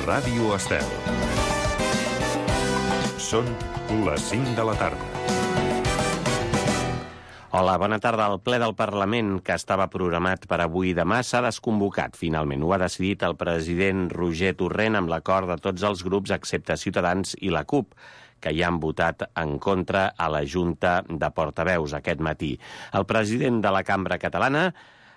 Ràdio Estel. Són les 5 de la tarda. Hola, bona tarda. El ple del Parlament, que estava programat per avui i demà, s'ha desconvocat, finalment. Ho ha decidit el president Roger Torrent amb l'acord de tots els grups, excepte Ciutadans i la CUP, que ja han votat en contra a la Junta de Portaveus aquest matí. El president de la Cambra Catalana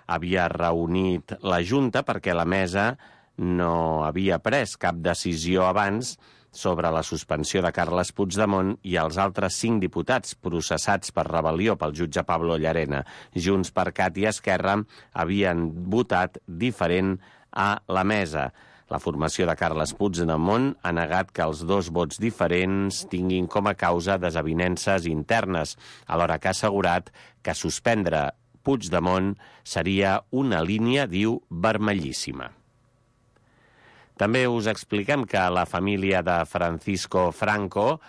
havia reunit la Junta perquè la mesa no havia pres cap decisió abans sobre la suspensió de Carles Puigdemont i els altres 5 diputats processats per rebel·lió pel jutge Pablo Llarena. Junts per Cat i Esquerra havien votat diferent a la mesa. La formació de Carles Puigdemont ha negat que els dos vots diferents tinguin com a causa desavinences internes, alhora que ha assegurat que suspendre Puigdemont seria una línia, diu, vermellíssima. També us expliquem que la família de Francisco Franco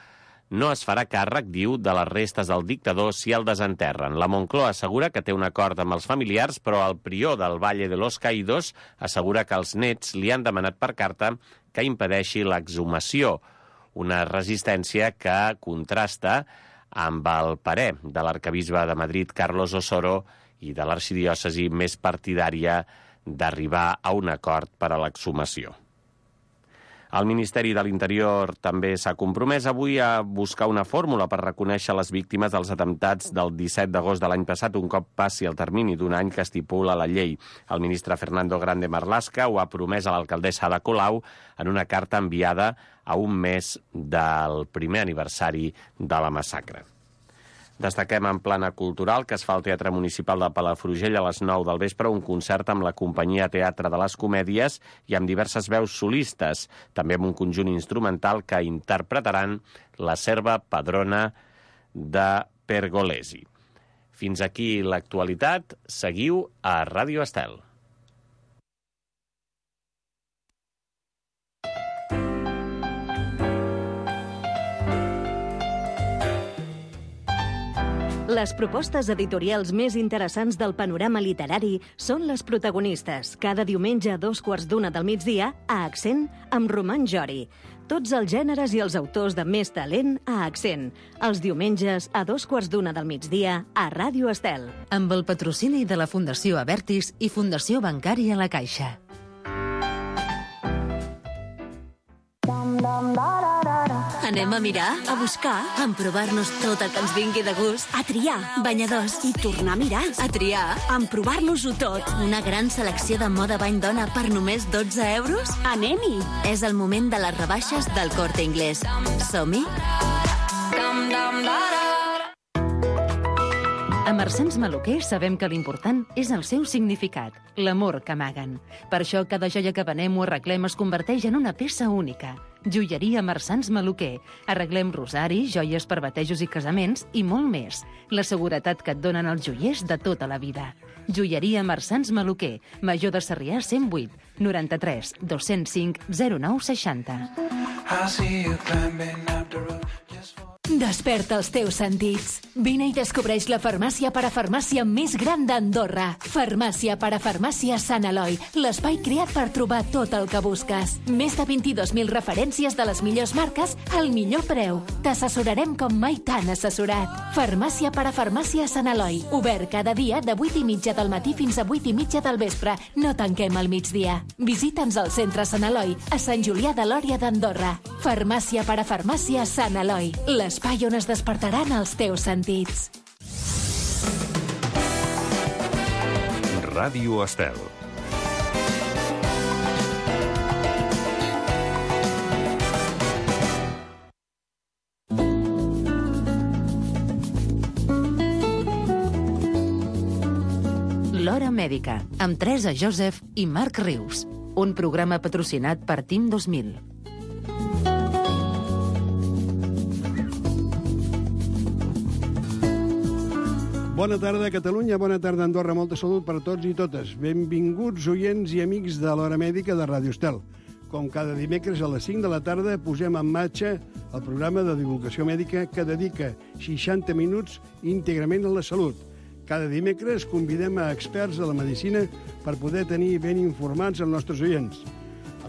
no es farà càrrec, diu, de les restes del dictador si el desenterren. La Moncloa assegura que té un acord amb els familiars, però el prior del Valle de los Caídos assegura que els nets li han demanat per carta que impedeixi l'exhumació, una resistència que contrasta amb el parer de l'arquebisbe de Madrid, Carlos Osoro, i de l'arxidiòcesi més partidària d'arribar a un acord per a l'exhumació. El Ministeri de l'Interior també s'ha compromès avui a buscar una fórmula per reconèixer les víctimes dels atemptats del 17 d'agost de l'any passat, un cop passi el termini d'un any que estipula la llei. El ministre Fernando Grande Marlaska ho ha promès a l'alcaldessa Ada Colau en una carta enviada a un mes del primer aniversari de la massacre. Destaquem en plana cultural que es fa al Teatre Municipal de Palafrugell a les 9 del vespre un concert amb la companyia Teatre de les Comèdies i amb diverses veus solistes, també amb un conjunt instrumental que interpretaran la serva padrona de Pergolesi. Fins aquí l'actualitat. Seguiu a Ràdio Estel. Les propostes editorials més interessants del panorama literari són les protagonistes, cada diumenge a 2:15 del migdia, a Accent, amb Roman Jori. Tots els gèneres i els autors de més talent a Accent. Els diumenges a 2:15 del migdia, a Ràdio Estel. Amb el patrocini de la Fundació Abertis i Fundació Bancària La Caixa. Anem a mirar, a buscar, a emprovar-nos tot el que ens vingui de gust, a triar, banyadors, i tornar a mirar, a triar, a emprovar-nos-ho tot. Una gran selecció de moda bany dona per només 12 euros? Anem-hi! És el moment de les rebaixes del Corte Inglés. Som-hi? A Marsans Maluquer sabem que l'important és el seu significat, l'amor que amaguen. Per això cada joia que venem o arreglem es converteix en una peça única. Joieria Marsans Maluquer. Arreglem rosaris, joies per batejos i casaments i molt més. La seguretat que et donen els joiers de tota la vida. Joieria Marsans Maluquer. Major de Sarrià 108 93 205 0960. Desperta els teus sentits. Vine i descobreix la farmàcia parafarmàcia més gran d'Andorra. Farmàcia parafarmàcia Sant Eloi, l'espai creat per trobar tot el que busques. Més de 22.000 referències de les millors marques al millor preu. T'assessorarem com mai t'han assessorat. Farmàcia parafarmàcia Sant Eloi, obert cada dia de 8:30 del matí fins a 8:30 del vespre. No tanquem al migdia. Visita'ns al centre Sant Eloi, a Sant Julià de Lòria d'Andorra. Farmàcia parafarmàcia Sant Eloi, l'espai on es despertaran els teus sentits. Ràdio Estel. L'Hora Mèdica, amb Teresa Joseph i Marc Rius. Un programa patrocinat per Team 2000. Bona tarda, Catalunya, bona tarda, Andorra. Molta salut per a tots i totes. Benvinguts, oients i amics de l'Hora Mèdica de Ràdio Estel. Com cada dimecres a les 5 de la tarda posem en marxa el programa de divulgació mèdica que dedica 60 minuts íntegrament a la salut. Cada dimecres convidem a experts de la medicina per poder tenir ben informats els nostres oients.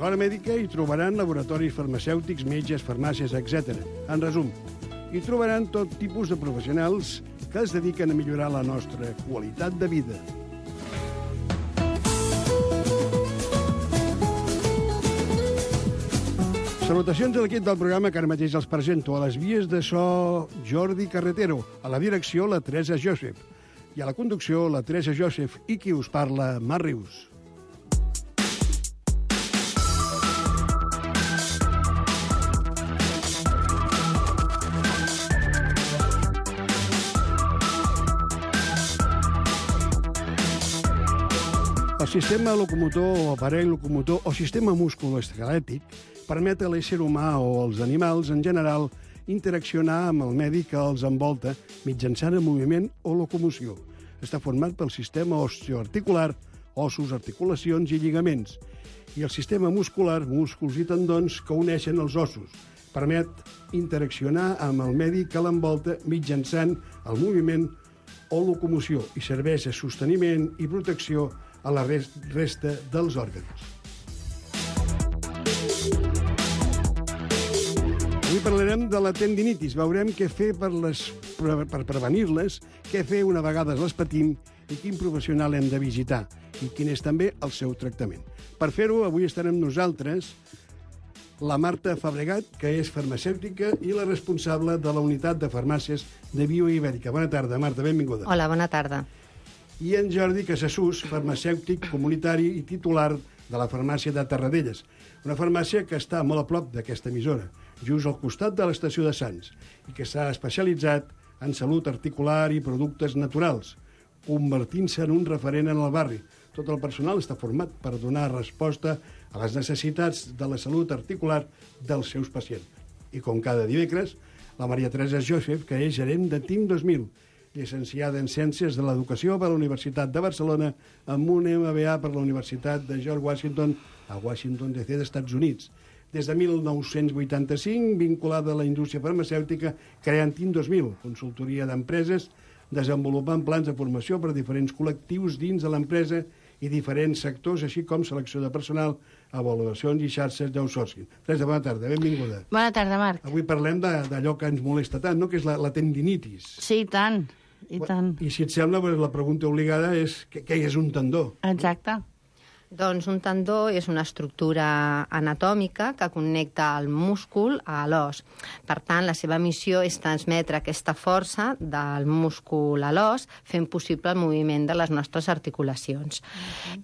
A l'hora mèdica hi trobaran laboratoris farmacèutics, metges, farmàcies, etc. En resum, hi trobaran tot tipus de professionals que es dediquen a millorar la nostra qualitat de vida. Salutacions a l'equip del programa que ara mateix els presento. A les vies de so, Jordi Carretero. A la direcció, la Teresa Joseph. I a la conducció, la Teresa Joseph. I qui us parla, Mar Rius. El sistema locomotor o aparell locomotor o sistema musculoesquelètic permet a l'ésser humà o als animals, en general, interaccionar amb el medi que els envolta mitjançant el moviment o locomoció. Està format pel sistema osteoarticular, ossos, articulacions i lligaments, i el sistema muscular, músculs i tendons que uneixen els ossos. Permet interaccionar amb el medi que l'envolta mitjançant el moviment o locomoció i serveix de sosteniment i protecció a la resta dels òrgans. Avui parlarem de la tendinitis. Veurem què fer per prevenir-les, què fer una vegada les patim i quin professional hem de visitar i quin és també el seu tractament. Per fer-ho, avui estarem nosaltres la Marta Fabregat, que és farmacèutica i la responsable de la unitat de farmàcies de Bioibèrica. Bona tarda, Marta, benvinguda. Hola, bona tarda. I en Jordi Casassús, farmacèutic comunitari i titular de la farmàcia de Terradelles, una farmàcia que està molt a prop d'aquesta emissora, just al costat de l'estació de Sants, i que s'ha especialitzat en salut articular i productes naturals, convertint-se en un referent en el barri. Tot el personal està format per donar resposta a les necessitats de la salut articular dels seus pacients. I com cada dimecres, la Maria Teresa Joseph, que és gerent de Team 2000, llicenciada en Ciències de l'Educació per la Universitat de Barcelona, amb un MBA per la Universitat de George Washington, a Washington DC, d'Estats Units. Des de 1985, vinculada a la indústria farmacèutica, creant Team 2000, consultoria d'empreses, desenvolupant plans de formació per a diferents col·lectius dins de l'empresa i diferents sectors, així com selecció de personal, avaluacions i xarxes d'outsourcing. Teresa, bona tarda, benvinguda. Bona tarda, Marc. Avui parlem d'allò que ens molesta tant, no?, que és la tendinitis. Sí, i tant, i tant. I si et sembla, la pregunta obligada és què és un tendó? Exacte. Doncs un tendó és una estructura anatòmica que connecta el múscul a l'os. Per tant, la seva missió és transmetre aquesta força del múscul a l'os, fent possible el moviment de les nostres articulacions.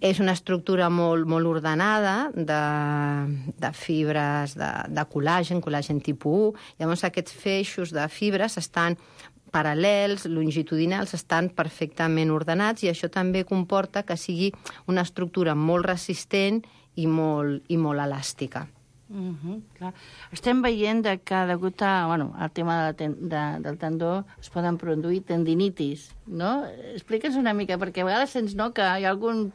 És una estructura molt ordenada de fibres de col·làgen tipus 1. Llavors, aquests feixos de fibres estan paral·lels, longitudinals, estan perfectament ordenats i això també comporta que sigui una estructura molt resistent i molt elàstica. Clar. Estem veient que degut al tema del tendó es poden produir tendinitis, no? Explica'ns una mica, perquè a vegades sents que hi ha algun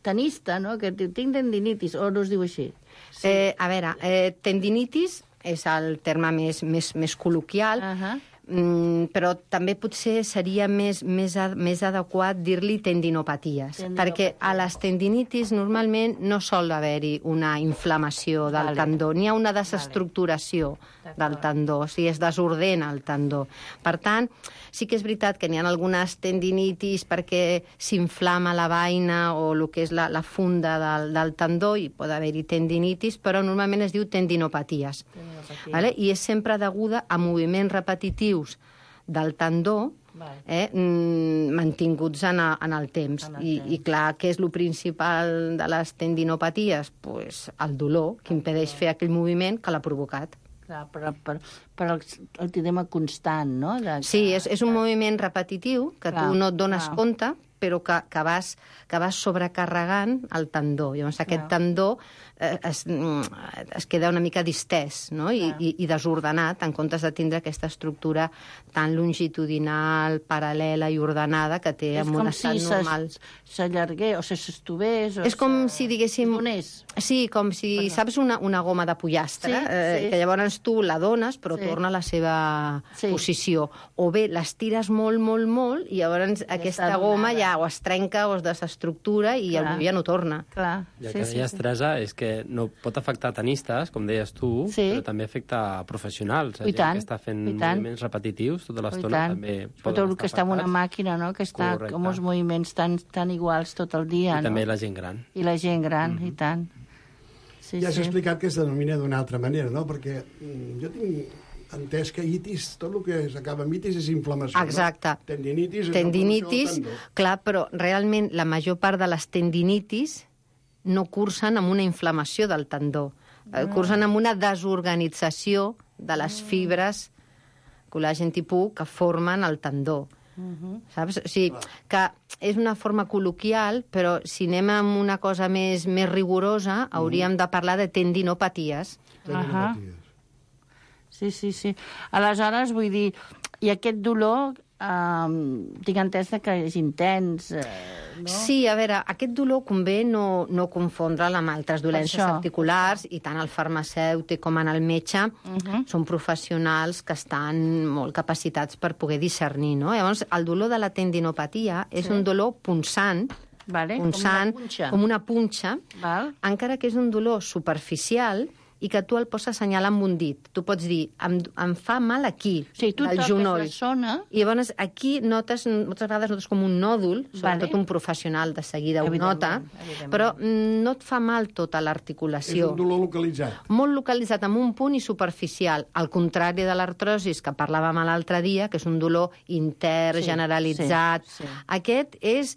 tenista, no?, que diu, tinc tendinitis, o no es diu així? Sí. A veure, tendinitis és el terme més col·loquial, però també potser seria més adequat dir-li tendinopaties, perquè a les tendinitis normalment no sol haver-hi una inflamació del tendó, n'hi ha una desestructuració del tendó, o sigui, es desordena el tendó. Per tant, sí que és veritat que n'hi ha algunes tendinitis perquè s'inflama la vaina o el que és la funda del tendó i pot haver-hi tendinitis, però normalment es diu tendinopaties. Vale? I és sempre deguda a moviments repetitius del tendó mantinguts en el temps. I clar, què és el principal de les tendinopaties? Pues el dolor, que impedeix fer aquell moviment que l'ha provocat. Clar, per el tema constant, no? Sí, és un moviment repetitiu que tu no et dones compte, però que vas sobrecarregant el tendó. Llavors aquest tendó es queda una mica distès, no? I desordenat, en comptes de tindre aquesta estructura tan longitudinal, paral·lela i ordenada que té en un estat normal. És com si s'allargués o s'estovés. És com si, diguéssim... Donés. Sí, com si, saps, una goma de pollastre, que llavors tu la dones, però torna a la seva posició. O bé l'estires molt, i llavors aquesta goma ja ja o es trenca o es desestructura i el moviment ja no torna. Clar. I el que deies, Teresa, és que no pot afectar tenistes, com deies tu, però també afecta professionals. I tant. Que està fent moviments repetitius tota l'estona també tot el que està en una màquina, no? Que està com uns moviments tan iguals tot el dia. I també la gent gran. I la gent gran, i tant. Ja s'ha explicat que es denomina d'una altra manera, no? Perquè jo tinc entès que itis, tot el que s'acaba amb itis és inflamació. Exacte. No? Tendinitis és tendinitis, inflamació del tendó. clar, però realment la major part de les tendinitis no cursen amb una inflamació del tendó. Cursen amb una desorganització de les fibres col·làgen tipus que formen el tendó. Saps? O sigui, que és una forma col·loquial, però si anem amb una cosa més rigorosa, hauríem de parlar de tendinopaties. Sí. Aleshores, vull dir, i aquest dolor, tinc entès que és intens, no? Sí, a veure, aquest dolor convé no confondre'l amb altres dolències articulars, i tant el farmacèutic com en el metge són professionals que estan molt capacitats per poder discernir, no? Llavors, el dolor de la tendinopatia és un dolor punçant, com una punxa, encara que és un dolor superficial, i que tu el pots assenyalar amb un dit. Tu pots dir, em fa mal aquí, del genoll. I llavors aquí notes, moltes vegades notes com un nòdul, sobretot un professional de seguida ho nota, però no et fa mal tota l'articulació. És un dolor localitzat. Molt localitzat, amb un punt i superficial. Al contrari de l'artrosis, que parlàvem l'altre dia, que és un dolor intern, generalitzat. Aquest és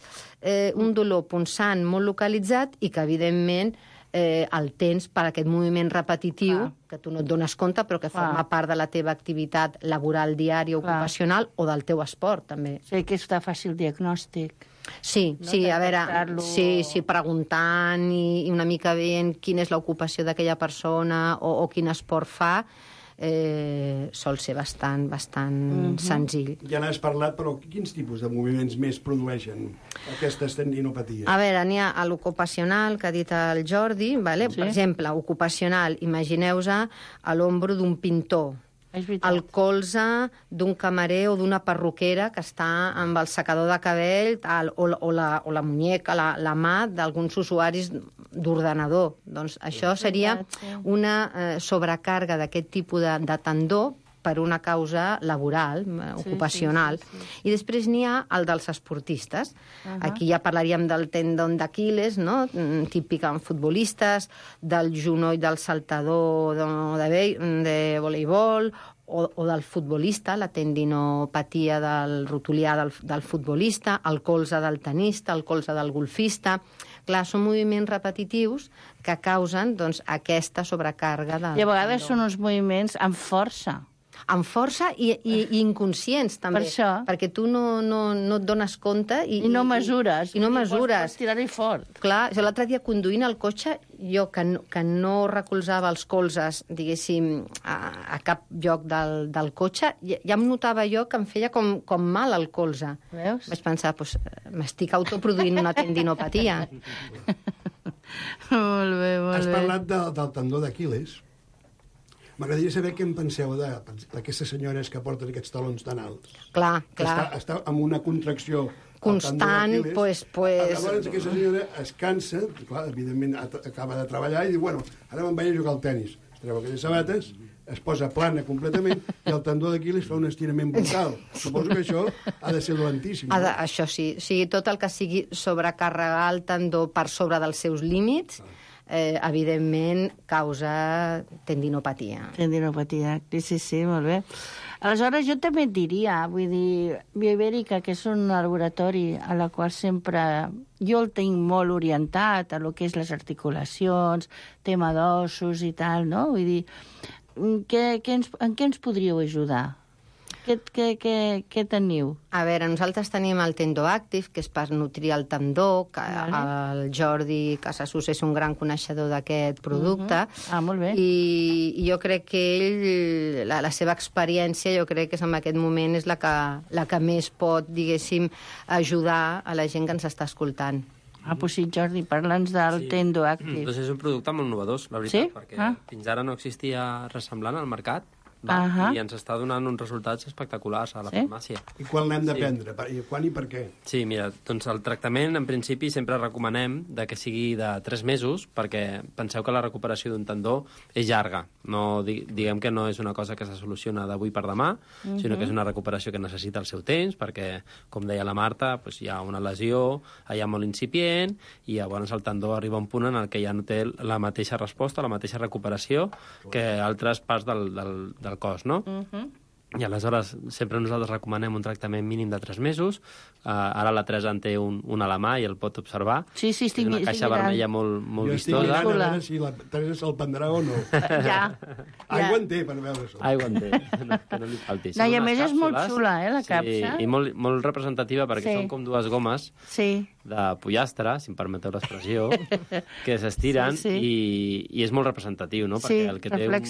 un dolor punçant, molt localitzat, i que, evidentment, el tens per aquest moviment repetitiu, que tu no et dones compte, però que forma part de la teva activitat laboral diària, ocupacional, o del teu esport, també. Sí, que és de fàcil diagnòstic. Sí, a veure, preguntant i una mica veient quina és l'ocupació d'aquella persona o quin esport fa, sol ser bastant senzill. Ja n'has parlat, però quins tipus de moviments més produeixen aquestes tendinopaties? A veure, n'hi ha l'ocupacional, que ha dit el Jordi, per exemple, ocupacional, imagineu-vos a l'ombro d'un pintor, el colze d'un camarer o d'una perruquera que està amb el secador de cabell, o la muñeca, la mà d'alguns usuaris d'ordenador. Doncs això seria una sobrecàrrega d'aquest tipus de tendó per una causa laboral, ocupacional. I després n'hi ha el dels esportistes. Aquí ja parlaríem del tendon d'Aquil·les, no? Típic en futbolistes, del genoll del saltador de voleibol, o del futbolista, la tendinopatia del rotulià del futbolista, el colze del tenista, el colze del golfista. Clar, són moviments repetitius que causen aquesta sobrecàrrega de... I a vegades són uns moviments amb força. Amb força i inconscients, també. Per això. Perquè tu no et dones compte... I no mesures. I no mesures. Pots tirar-hi fort. Clar, l'altre dia conduint el cotxe, jo que no recolzava els colzes, diguéssim, a cap lloc del cotxe, ja em notava jo que em feia com mal el colze. Veus? Vaig pensar, m'estic autoproduint una tendinopatia. Molt bé. Has parlat del tendó d'Aquil·les. M'agradaria saber què en penseu d'aquestes senyores que porten aquests talons tan alts. Clar. Està amb una contracció constant, Llavors aquesta senyora es cansa, clar, evidentment acaba de treballar i diu, ara me'n vaig a jugar al tenis. Es treu aquelles sabates, es posa plana completament i el tendó d'Aquil·les fa un estirament brutal. Suposo que això ha de ser dolentíssim. Això sí. O sigui, tot el que sigui sobrecarregar el tendó per sobre dels seus límits, evidentment causa tendinopatia. Tendinopatia, sí, molt bé. Aleshores, jo també et diria, vull dir, Bioibèrica, que és un laboratori a la qual sempre jo el tinc molt orientat a lo que és les articulacions, tema d'ossos i tal, no? Vull dir, en què ens podríeu ajudar? Què teniu? A veure, nosaltres tenim el Tendo Active, que és per nutrir el tendó, que el Jordi Casasus és un gran coneixedor d'aquest producte. Molt bé. I jo crec que ell, la seva experiència, jo crec que en aquest moment és la que més pot, diguéssim, ajudar a la gent que ens està escoltant. Pues sí, Jordi, parla'ns del Tendo Active. Doncs és un producte molt innovador, la veritat, perquè fins ara no existia res semblant al mercat. i ens està donant uns resultats espectaculars a la farmàcia. I quan l'hem de prendre? Quan i per què? Sí, mira, doncs el tractament, en principi, sempre recomanem que sigui de 3 mesos, perquè penseu que la recuperació d'un tendó és llarga. No, diguem que no és una cosa que se soluciona d'avui per demà, sinó que és una recuperació que necessita el seu temps, perquè, com deia la Marta, hi ha una lesió allà molt incipient, i llavors el tendó arriba a un punt en el que ja no té la mateixa resposta, la mateixa recuperació que altres parts del cos, no? I aleshores sempre nosaltres recomanem un tractament mínim de 3 mesos. Ara la Teresa en té un a la mà i el pot observar. Sí, estic mirant. És una caixa vermella molt vistosa. Jo estic mirant a veure si la Teresa se'l prendrà o no. Aigua en té, per veure això. Aigua en té, que no li falti. No, i a més és molt xula, la capsa. Sí, i molt representativa, perquè són com 2 gomes de pollastre, si em permeteu l'expressió, que s'estiren, i és molt representatiu, no? Perquè el que té una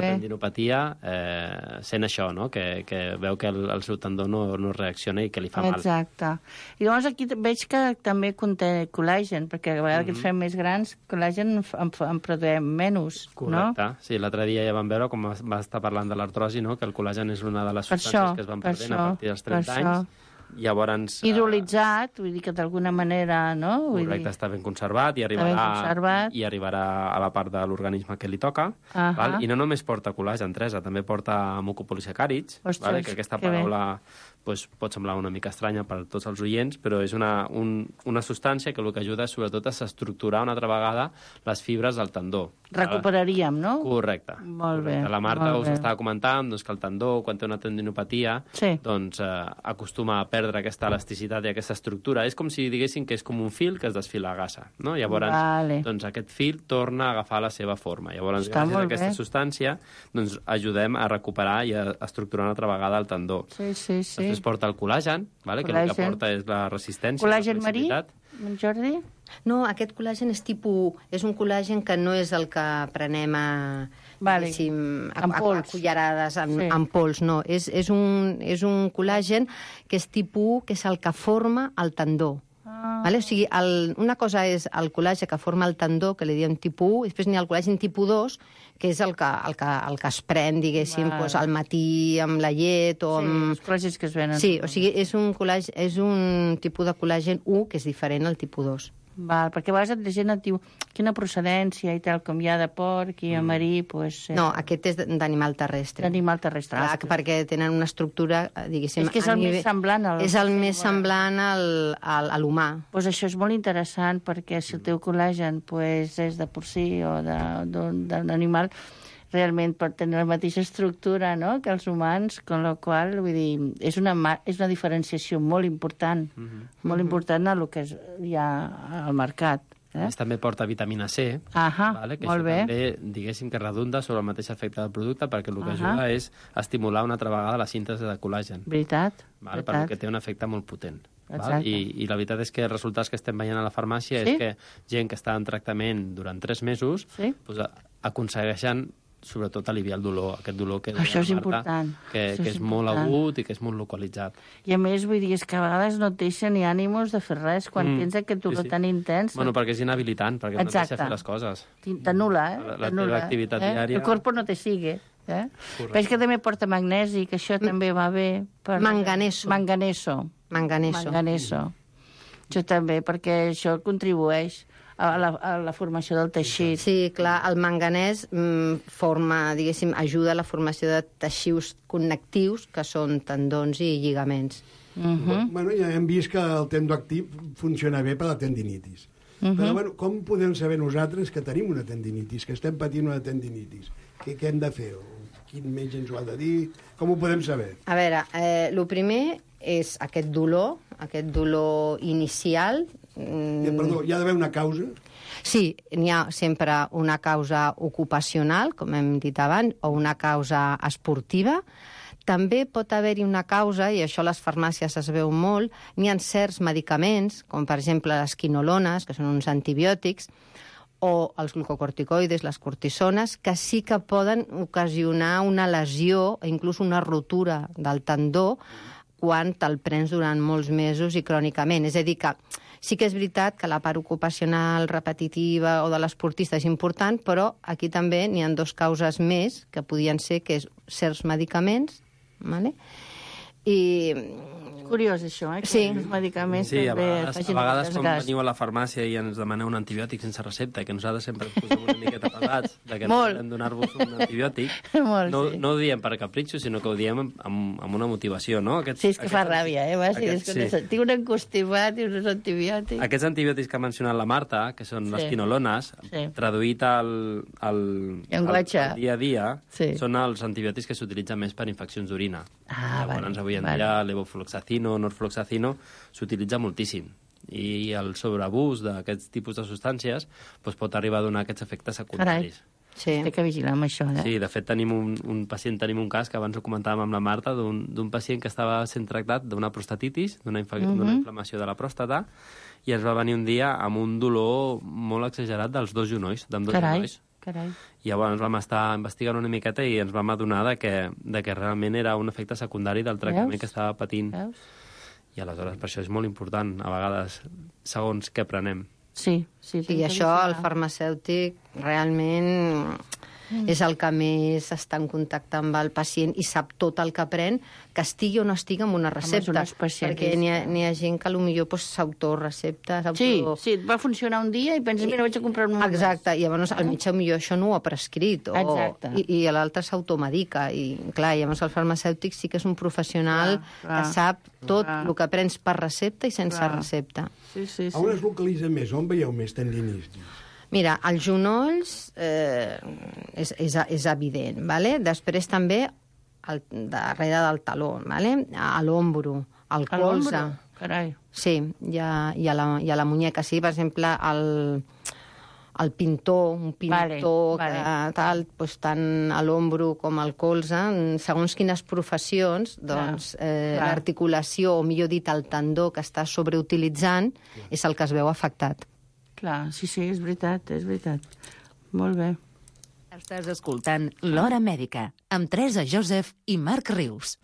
tendinopatia sent això, no? Que veu que el seu tendó no reacciona i que li fa mal. Exacte. I llavors aquí veig que també conté col·làgen, perquè a vegades que ens fem més grans, col·làgen en produïm menys, no? Correcte. Sí, l'altre dia ja vam veure, com va estar parlant de l'artrosi, no? Que el col·làgen és una de les substàncies que es van perdent a partir dels 30 anys. Llavors, hidrolitzat, vull dir que d'alguna manera, no? Correcte, està ben conservat i arribarà a la part de l'organisme que li toca. Val? I no només porta col·làgen, Teresa, també porta mucopolisacàrids, que aquesta paraula pot semblar una mica estranya per a tots els oients, però és una substància que el que ajuda sobretot és a estructurar una altra vegada les fibres del tendó. Recuperaríem, no? Correcte. Molt bé. La Marta us estava comentant que el tendó, quan té una tendinopatia, doncs acostuma a perdre aquesta elasticitat i aquesta estructura. És com si diguéssim que és com un fil que es desfila a gasa, no? Llavors, doncs aquest fil torna a agafar la seva forma. Llavors, gràcies a aquesta substància, doncs ajudem a recuperar i a estructurar una altra vegada el tendó. Sí. Després porta el col·làgen, que el que porta és la resistència. Col·làgen marí, Jordi? No, aquest col·làgen és un col·làgen que no és el que prenem a cullerades, en pols, no. És un col·làgen que és tipus 1, que és el que forma el tendó. Vale? O sigui, una cosa és el col·làgen que forma el tendó, que li diem tipus 1, i després n'hi ha el col·làgen tipus 2, que és el que es pren, diguéssim, al matí amb la llet o amb... els col·làgens que es venen. Sí, o sigui, és un tipus de col·làgen 1 que és diferent al tipus 2. Val, perquè a vegades la gent et diu quina procedència i tal, com hi ha de porc i a marí, doncs... No, aquest és d'animal terrestre. D'animal terrestre. Perquè tenen una estructura, diguéssim... És que és el més semblant És el més semblant a l'humà. Doncs això és molt interessant, perquè si el teu col·làgen és de porcí o d'un animal, realment pot tenir la mateixa estructura, no?, que els humans, con la qual, vull dir, és una diferenciació molt important, molt important a lo que hi ha al mercat. També porta vitamina C, que això també, diguéssim, que redunda sobre el mateix efecte del producte, perquè el que ajuda és estimular una altra vegada la síntesi de col·làgen. Veritat. Perquè té un efecte molt potent. I la veritat és que els resultats que estem veient a la farmàcia és que gent que està en tractament durant 3 mesos aconsegueixen sobretot aliviar el dolor, aquest dolor que això és important. Que és molt agut i que és molt localitzat. I a més, vull dir, és que a vegades no et deixa ni ànimos de fer res quan tens aquest dolor tan intens. Bueno, perquè és inhabilitant, perquè no et deixa fer les coses. T'anul·la, La teva activitat diària... El corpo no te sigue. Però és que també porta magnesi, que això també va bé. Manganeso. Això també, perquè això contribueix a la formació del teixit. Sí, clar, el manganès ajuda a la formació de teixits connectius, que són tendons i lligaments. Bueno, ja hem vist que el tendó actiu funciona bé per la tendinitis. Però, bueno, com podem saber nosaltres que tenim una tendinitis, que estem patint una tendinitis? Què hem de fer? Quin metge ens ho ha de dir? Com ho podem saber? A veure, el primer és aquest dolor inicial. Perdó, hi ha d'haver una causa? Sí, n'hi ha sempre una causa ocupacional, com hem dit abans, o una causa esportiva. També pot haver-hi una causa, i això a les farmàcies es veu molt, n'hi ha certs medicaments, com per exemple les quinolones, que són uns antibiòtics, o els glucocorticoides, les cortisones, que sí que poden ocasionar una lesió, inclús una rotura del tendó, quan te'l prens durant molts mesos i crònicament. És a dir, que Sí que és veritat que la part ocupacional repetitiva o de l'esportista és important, però aquí també n'hi ha dues causes més que podien ser que és certs medicaments, vale? I Curiós, això, que sí. els medicaments Sí, a també vegades quan gas. veniu a la farmàcia i ens demaneu un antibiòtic sense recepta, que nosaltres sempre ens posem una miqueta pesats, que no podem donar-vos un antibiòtic, no ho diem per capritxo, sinó que ho diem amb una motivació, no? Sí, és que fa ràbia, tinc un encostimat i uns antibiòtics. Aquests antibiòtics que ha mencionat la Marta, que són les quinolones, traduït al dia a dia, són els antibiòtics que s'utilitzen més per infeccions d'orina. Llavors, avui en dia, levofloxacino, norfloxacino, s'utilitza moltíssim. I el sobreabús d'aquests tipus de substàncies pot arribar a donar aquests efectes secundaris. Sí. Té que vigilar amb això, Sí, de fet, tenim un cas que abans ho comentàvem amb la Marta, d'un pacient que estava sent tractat d'una prostatitis, d'una inflamació de la pròstata, i ens va venir un dia amb un dolor molt exagerat dels dos genolls, d'ambdós genolls. Carai. I llavors vam estar investigant una miqueta i ens vam adonar que realment era un efecte secundari del tractament que estava patint. I aleshores per això és molt important, a vegades, segons què prenem. Sí. I això el farmacèutic realment és el que més està en contacte amb el pacient i sap tot el que pren, que estigui o no estigui amb una recepta. Perquè n'hi ha gent que potser s'autorecepta. Sí, va funcionar un dia i penses, mira, vaig a comprar un... Exacte, i llavors el metge millor això no ho ha prescrit. I l'altre s'automedica. I clar, llavors el farmacèutic sí que és un professional que sap tot el que prens per recepta i sense recepta. On es localitza més? On veieu més tendinitis? Mira, els genolls és evident, ¿vale? Després també darrere del taló, ¿vale? A l'ombro, al colze. Carai. Sí, i a la muñeca. Sí, per exemple, el pintor, un pintor tal, doncs, tant a l'ombro com al colze, segons quines professions, doncs l'articulació, o millor dit, el tendó que està sobreutilitzant és el que es veu afectat. Clar, sí, és veritat. Molt bé. Estàs escoltant L'Hora Mèdica, amb Teresa Joseph i Marc Rius.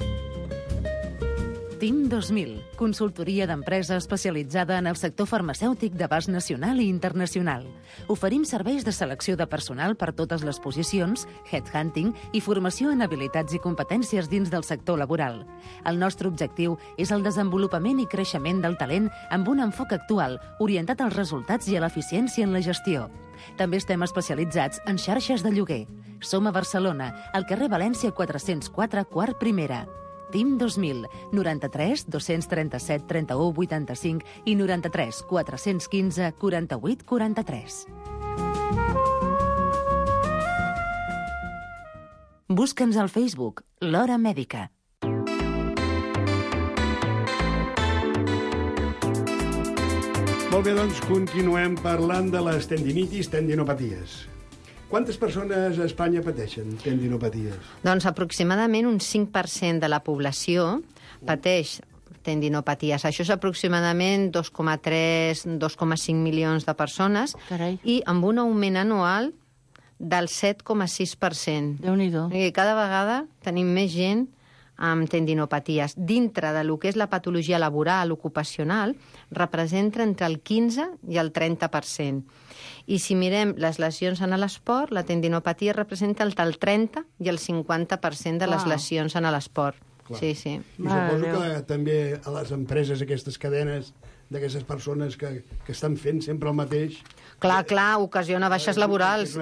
TIM 2000, consultoria d'empresa especialitzada en el sector farmacèutic d'abast nacional i internacional. Oferim serveis de selecció de personal per totes les posicions, headhunting i formació en habilitats i competències dins del sector laboral. El nostre objectiu és el desenvolupament i creixement del talent amb un enfoc actual, orientat als resultats i a l'eficiència en la gestió. També estem especialitzats en xarxes de lloguer. Som a Barcelona, al carrer València 404, quart primera. TIM 2000, 93 237 31 85 i 93 415 48 43. Busca'ns al Facebook, L'Hora Mèdica. Molt bé, doncs continuem parlant de les tendinitis, tendinopaties. Quantes persones a Espanya pateixen tendinopaties? Doncs aproximadament un 5% de la població pateix tendinopaties. Això és aproximadament 2,3-2,5 milions de persones. Carai. I amb un augment anual del 7,6%. Déu-n'hi-do. Cada vegada tenim més gent amb tendinopaties. Dintre de lo que és la patologia laboral, ocupacional, representa entre el 15 i el 30%. I si mirem les lesions en l'esport, la tendinopatia representa entre el 30 i el 50% de les lesions en l'esport. Sí. I suposo que també a les empreses, aquestes cadenes d'aquestes persones que estan fent sempre el mateix... Clar, ocasiona baixes laborals.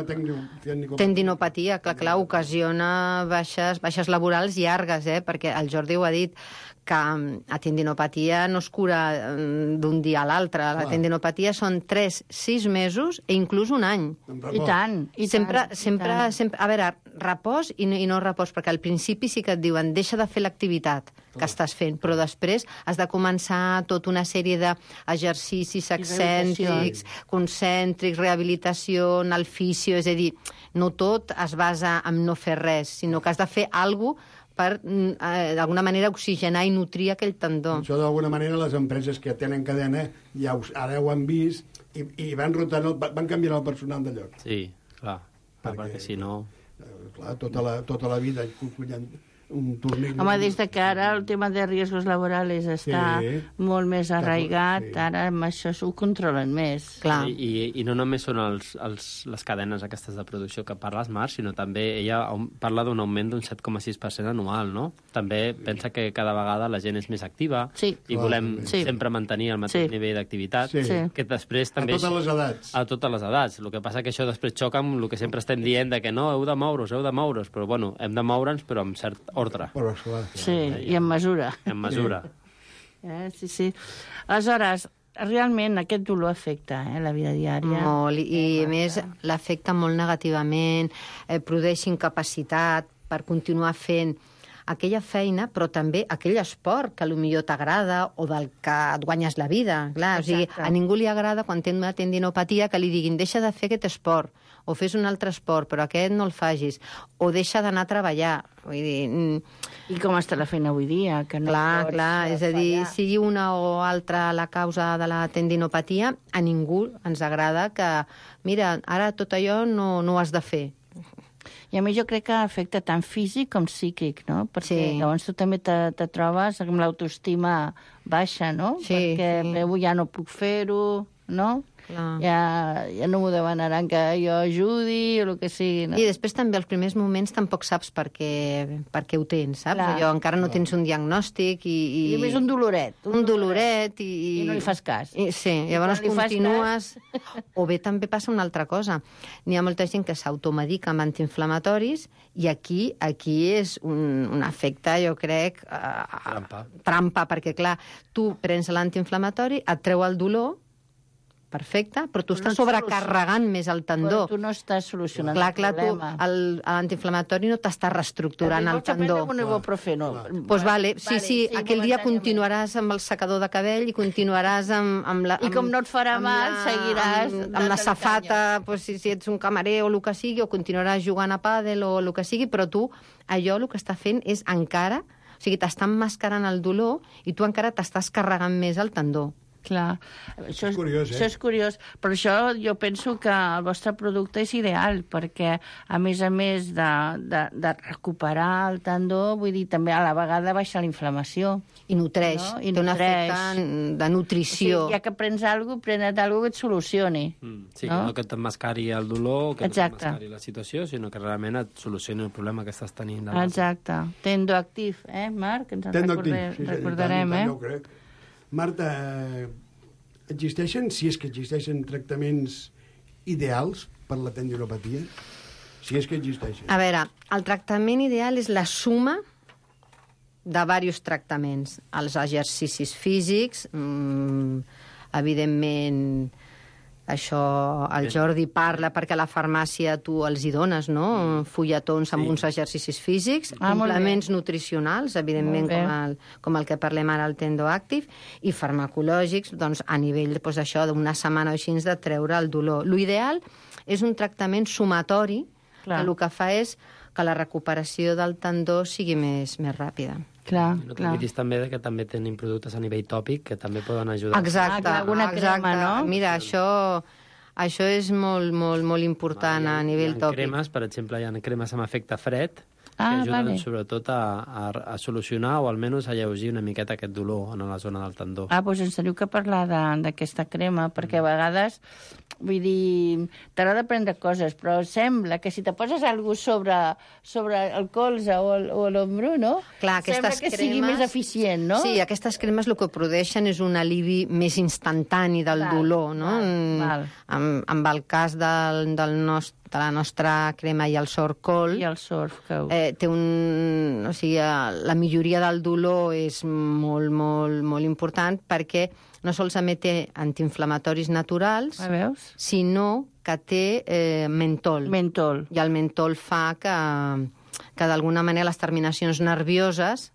Tendinopatia, clar, ocasiona baixes laborals llargues, perquè el Jordi ho ha dit, que la tendinopatia no es cura d'un dia a l'altre. La tendinopatia són 3-6 mesos i inclús un any. I tant. Sempre, a veure, repòs i no repòs, perquè al principi sí que et diuen deixa de fer l'activitat que estàs fent, però després has de començar tota una sèrie d'exercicis excèntrics, concèntrics, rehabilitació, anar al fisio, és a dir, no tot es basa en no fer res, sinó que has de fer alguna cosa per, d'alguna manera, oxigenar i nutrir aquell tendó. Això, d'alguna manera, les empreses que tenen cadena ja ara ho han vist i van rotant, van canviant el personal de lloc. Sí, clar, perquè si no... Clar, tota la vida un turmell... Home, des de que ara el tema de riesgos laborals està molt més arraigat, ara amb això s'ho controlen més. Clar. I no només són les cadenes aquestes de producció que parles, Marc, sinó també ella parla d'un augment d'un 7,6% anual, no? També pensa que cada vegada la gent és més activa i volem sempre mantenir el mateix nivell d'activitat, que després també... A totes les edats. A totes les edats. El que passa que això després xoca amb el que sempre estem dient de que no, heu de moure's, però bueno, hem de moure'ns però amb cert ordre. Però, clar. Sí, i amb mesura. En mesura. Sí. Aleshores, realment aquest dolor afecta la vida diària. Molt, i a més l'afecta molt negativament, produeix incapacitat per continuar fent aquella feina, però també aquell esport que potser t'agrada o del que et guanyes la vida. Clar, o sigui, a ningú li agrada quan té una tendinopatia que li diguin deixa de fer aquest esport, o fes un altre esport, però aquest no el facis, o deixa d'anar a treballar. Vull dir... I com està la feina avui dia? Que no clar, és a dir, sigui una o altra la causa de la tendinopatia, a ningú ens agrada que, mira, ara tot allò no ho has de fer. I a mi jo crec que afecta tant físic com psíquic, no? Perquè llavors tu també te trobes amb l'autoestima baixa, no? Perquè ja no puc fer-ho, no? Ja no m'ho demanaran que jo ajudi o el que sigui. No? I després també als primers moments tampoc saps per què ho tens, saps? Allò, encara no tens un diagnòstic i a més un doloret. Un doloret i no li fas cas. Sí, llavors continues... O bé també passa una altra cosa. N'hi ha molta gent que s'automedica amb antiinflamatoris i aquí és un efecte, jo crec... Trampa, perquè clar, tu prens l'antiinflamatori, et treu el dolor, perfecte, però tu estàs sobrecarregant més el tendó. Però tu no estàs solucionant el problema. Clar, l'antiinflamatori no t'està reestructurant el tendó. Un ibuprofeno. Doncs vale, sí, aquell dia continuaràs amb el secador de cabell i continuaràs amb la... I com no et farà mal, seguiràs... Amb la safata, si ets un camarer o el que sigui, o continuaràs jugant a pàdel o el que sigui, però tu, allò el que està fent és encara... O sigui, t'està emmascarant el dolor i tu encara t'estàs carregant més el tendó. Clar, això és curiós, això és curiós. Per això jo penso que el vostre producte és ideal, perquè a més de recuperar el tendó, vull dir, també a la vegada baixa la inflamació. I nutreix, no? Té un efecte de nutrició. O sigui, ja que prens alguna cosa, prene't alguna cosa que et solucioni. Sí, no que t'emmascari el dolor, que t'emmascari la situació, sinó que realment et solucioni el problema que estàs tenint. Exacte. Tendoactiv, Marc? Ens en recordarem, jo crec. Marta, existeixen, si és que existeixen, tractaments ideals per la tendinopatia? Si és que existeixen. A veure, el tractament ideal és la suma de diversos tractaments. Els exercicis físics, evidentment, això el Jordi parla perquè a la farmàcia tu els hi dones, no? Fulletons amb uns exercicis físics, complements nutricionals, evidentment, com el que parlem ara, el Tendoactive, i farmacològics, doncs, a nivell d'això, d'una setmana o així, de treure el dolor. L'ideal és un tractament sumatori, que el que fa és que la recuperació del tendó sigui més ràpida. No t'oblidis també que també tenim productes a nivell tòpic que també poden ajudar. Exacte. Crema, no? Mira, això és molt important a nivell tòpic. Cremes, per exemple, hi ha cremes amb efecte fred que ajuden sobretot a solucionar o almenys a lleugir una miqueta aquest dolor en la zona del tendó. Doncs ens teniu que parlar d'aquesta crema, perquè a vegades, vull dir, t'agrada prendre coses, però sembla que si te poses alguna sobre el colze o l'ombro, no? Clar, sembla que sigui més eficient, no? Sí, aquestes cremes el que produeixen és un alivi més instantani del dolor, no? Amb el cas de la nostra crema i el Sorcol, té o sigui, la milloria del dolor és molt important perquè no solament té antiinflamatoris naturals, sinó que té mentol. I el mentol fa que d'alguna manera les terminacions nervioses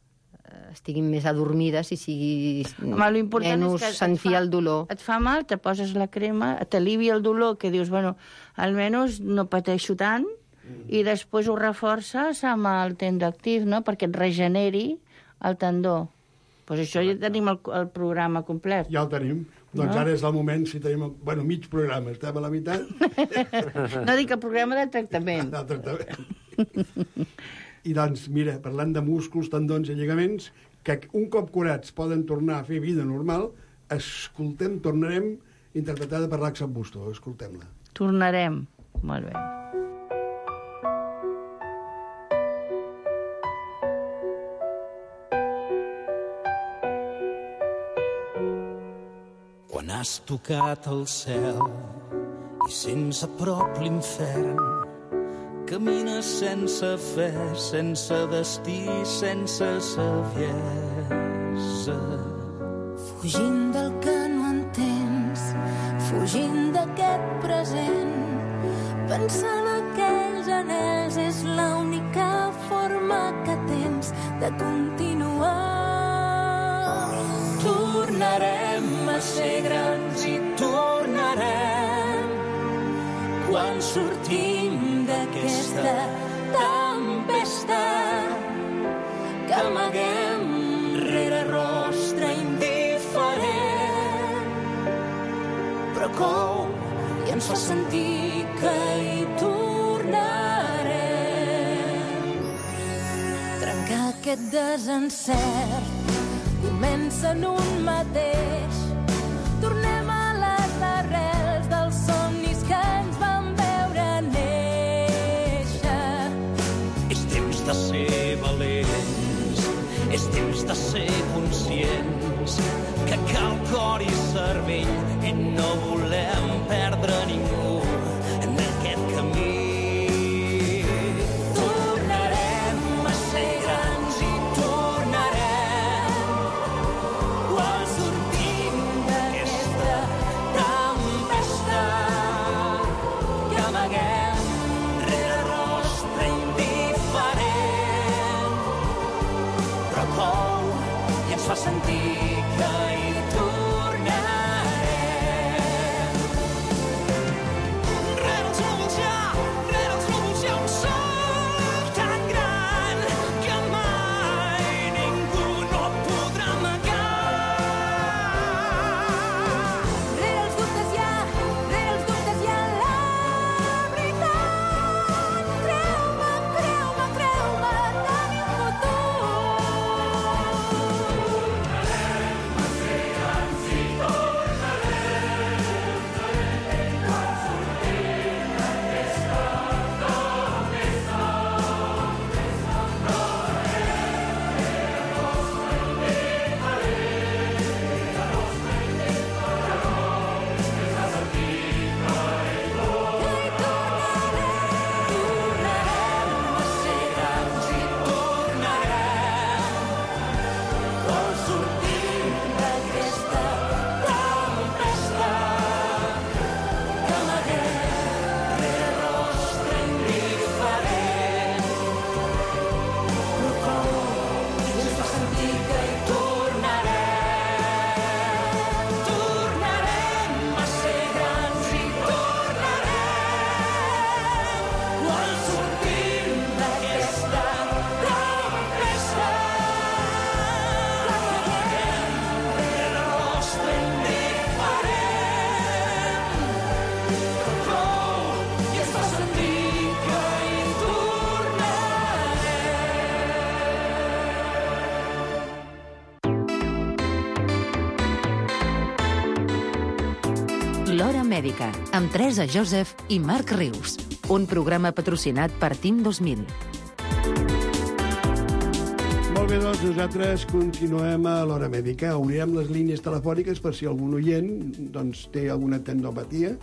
estiguin més adormides i sigui menys sentir el dolor. Et fa mal, te poses la crema, t'alivia el dolor, que dius, bueno, almenys no pateixo tant, i després ho reforces amb el Tendoactive, no?, perquè et regeneri el tendó. Doncs això ja tenim el programa complet. Ja el tenim. Doncs ara és el moment, si tenim... Bueno, mig programa, estem a la meitat. No dic el programa de tractament. De tractament. I doncs, mira, parlant de músculs, tendons i lligaments, que un cop curats poden tornar a fer vida normal, tornarem interpretada per l'Axel Busto. Escoltem-la. Tornarem. Molt bé. Quan has tocat el cel i sents a prop l'infern, camines sense fe, sense destí, sense saviesa. Fugint del que no entens, fugint d'aquest present, pensant aquells anells és l'única forma que tens de continuar. Tornarem a ser grans i tornarem quan sortim d'aquesta tempesta que amaguem rere rostre indiferent, però cou i ens fa sentir que hi tornarem. Trencar aquest desencert comença en un mateix. Tornem a les arrels dels somnis que ens van veure néixer. És temps de ser valents, és temps de ser conscients que cal cor i cervell i no volem perdre ningú en aquest camí. Tornarem a ser grans i tornarem quan sortim d'aquesta tempesta que amaguem rere rostre indiferent, però cou i ens fa sentir que hi tornarem. Rere els núvols hi ha un sol tan gran que mai ningú no podrà amagar. Rere els dubtes hi ha la veritat. Creu-me, creu-me, creu-me, tenim futur. L'Hora Mèdica, amb Teresa Joseph i Marc Rius. Un programa patrocinat per TIM 2000. Molt bé, doncs nosaltres continuem a l'Hora Mèdica. Obrirem les línies telefòniques per si algun oient doncs, té alguna tendinopatia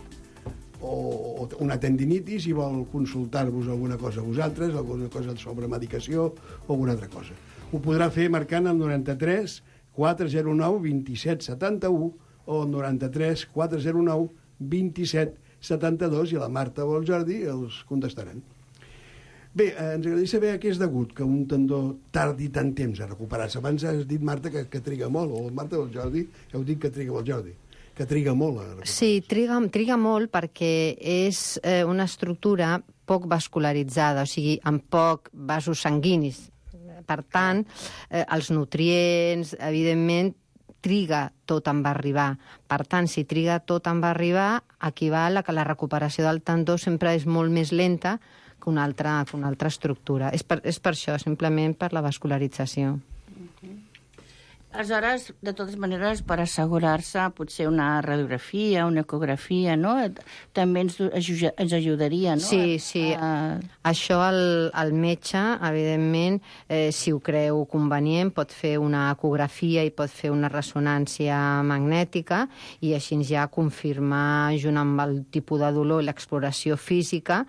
o una tendinitis i vol consultar-vos alguna cosa a vosaltres, alguna cosa sobre medicació o alguna altra cosa. Ho podrà fer marcant el 93 409 27 71 o 93 409 27 72 i la Marta o el Jordi els contestaran. Bé, ens agradaria saber a què és degut que un tendó tardi tant temps a recuperar-se. Abans has dit, Marta, que triga molt, o Marta o el Jordi, heu dit que triga molt, Jordi, que triga molt a recuperar-se. Sí, triga molt perquè és una estructura poc vascularitzada, o sigui, amb poc vasos sanguinis. Per tant, els nutrients, evidentment, triga tot en va arribar. Per tant, si triga tot en va arribar, equival a que la recuperació del tendó sempre és molt més lenta que una altra estructura. És per això, simplement per la vascularització. Aleshores, de totes maneres, per assegurar-se, potser una radiografia, una ecografia, no? També ens ajudaria, no? Sí. Això el metge, evidentment, si ho creu convenient, pot fer una ecografia i pot fer una ressonància magnètica i així ja confirmar, junt amb el tipus de dolor i l'exploració física,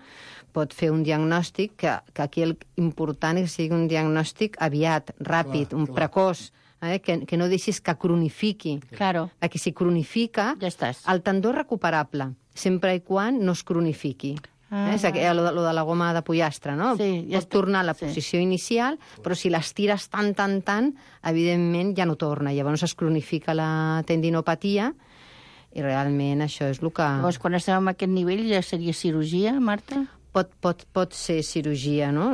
pot fer un diagnòstic que aquí el important és que sigui un diagnòstic aviat, ràpid, precoç, que no deixis que cronifiqui. Claro. Que si cronifica, ja estàs. El tendó és recuperable, sempre i quan no es cronifiqui. És lo de la goma de pollastre, no? Sí, ja pot tornar a la posició inicial, però si l'estires tant, evidentment ja no torna. Llavors es cronifica la tendinopatia i realment això és el que... Llavors, quan estem en aquest nivell, ja seria cirurgia, Marta? Pot ser cirurgia, no?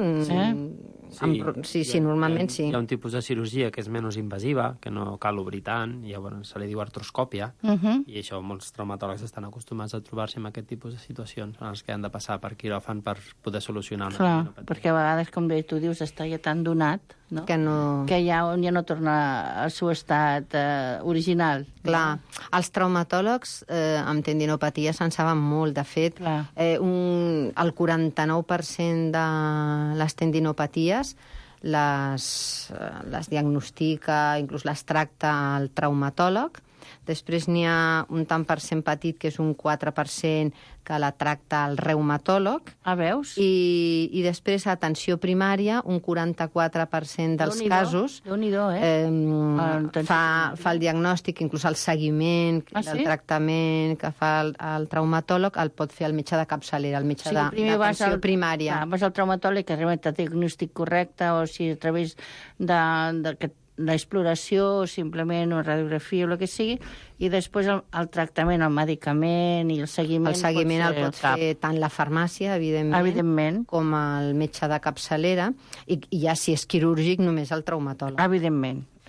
Sí, normalment sí. Hi ha un tipus de cirurgia que és menys invasiva, que no cal obrir tant, i llavors se li diu artroscòpia, i això molts traumatòlegs estan acostumats a trobar-se en aquest tipus de situacions en els que han de passar per quiròfan per poder solucionar una tendinopatia. Perquè a vegades, com bé tu dius, està ja tan donat, no? Que ja no torna al seu estat original. Clar, els traumatòlegs amb tendinopatia se'n saben molt. De fet, el 49% de les tendinopaties les diagnostica, inclús les tracta el traumatòleg. Després n'hi ha un tant per cent petit, que és un 4%, que la tracta el reumatòleg. Veus? I després, a atenció primària, un 44% dels casos fa el diagnòstic, inclús el seguiment del tractament que fa el traumatòleg, el pot fer el metge de capçalera, el metge d'atenció primària. Vas al traumatòleg, que realment té diagnòstic correcte, o si a través d'aquest l'exploració, simplement una radiografia o el que sigui, i després el tractament, el medicament i el seguiment... El seguiment el pot fer tant la farmàcia, evidentment, com el metge de capçalera, i ja si és quirúrgic, només el traumatòleg.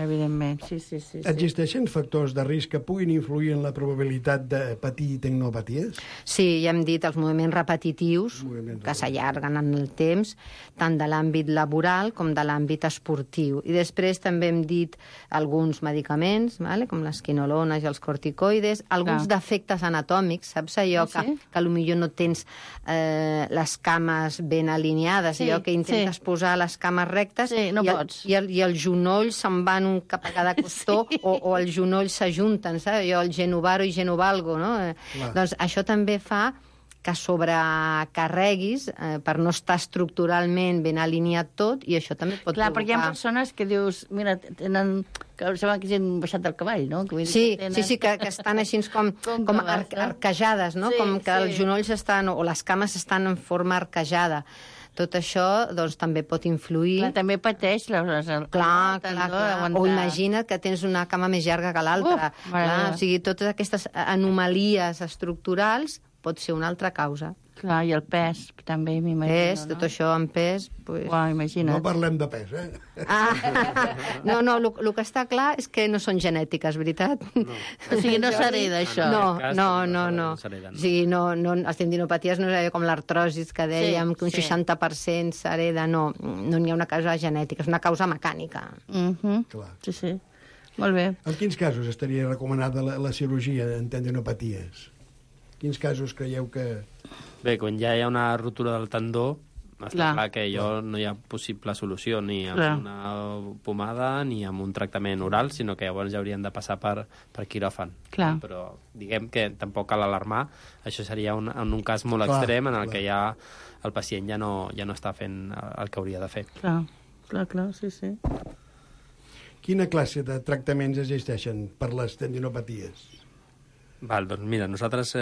Evidentment, sí. Existeixen factors de risc que puguin influir en la probabilitat de patir tendinopaties? Sí, ja hem dit els moviments repetitius, que s'allarguen en el temps, tant de l'àmbit laboral com de l'àmbit esportiu. I després també hem dit alguns medicaments, com les quinolones i els corticoides, alguns defectes anatòmics, saps allò que potser no tens les cames ben alineades, allò que intentes posar les cames rectes i els genolls se'n van cap a cada costó o els genolls s'ajunten, saps? Allò, el genovaro i genovalgo, no? Doncs això també fa que sobrecarreguis per no estar estructuralment ben alineat tot, i això també pot provocar... Clar, perquè hi ha persones que dius, mira, tenen... que sembla que hagin baixat del cavall, no? Sí, que estan així com arquejades, no? Com que els genolls estan, o les cames estan en forma arquejada. Tot això doncs, també pot influir... Clar, també pateix Clar. O imagina't que tens una cama més llarga que l'altra. O sigui, totes aquestes anomalies estructurals pot ser una altra causa. Clar, i el pes, també, m'imagino, tot això en pes... imagina't. No parlem de pes, No, el que està clar és que no són genètiques, veritat? O sigui, no s'hereda, això. No. O sigui, les tendinopaties no és com l'artrosis, que dèiem que un 60% s'hereda. No n'hi ha una causa genètica, és una causa mecànica. Sí. Molt bé. En quins casos estaria recomanada la cirurgia en tendinopaties? Quins casos creieu que... Bé, quan ja hi ha una ruptura del tendó, està clar que no hi ha possible solució ni amb una pomada ni amb un tractament oral, sinó que llavors ja haurien de passar per quiròfan. Però diguem que tampoc cal alarmar. Això seria en un cas molt extrem en el que ja el pacient ja no està fent el que hauria de fer. Clar, sí. Quina classe de tractaments existeixen per les tendinopaties? Doncs mira, nosaltres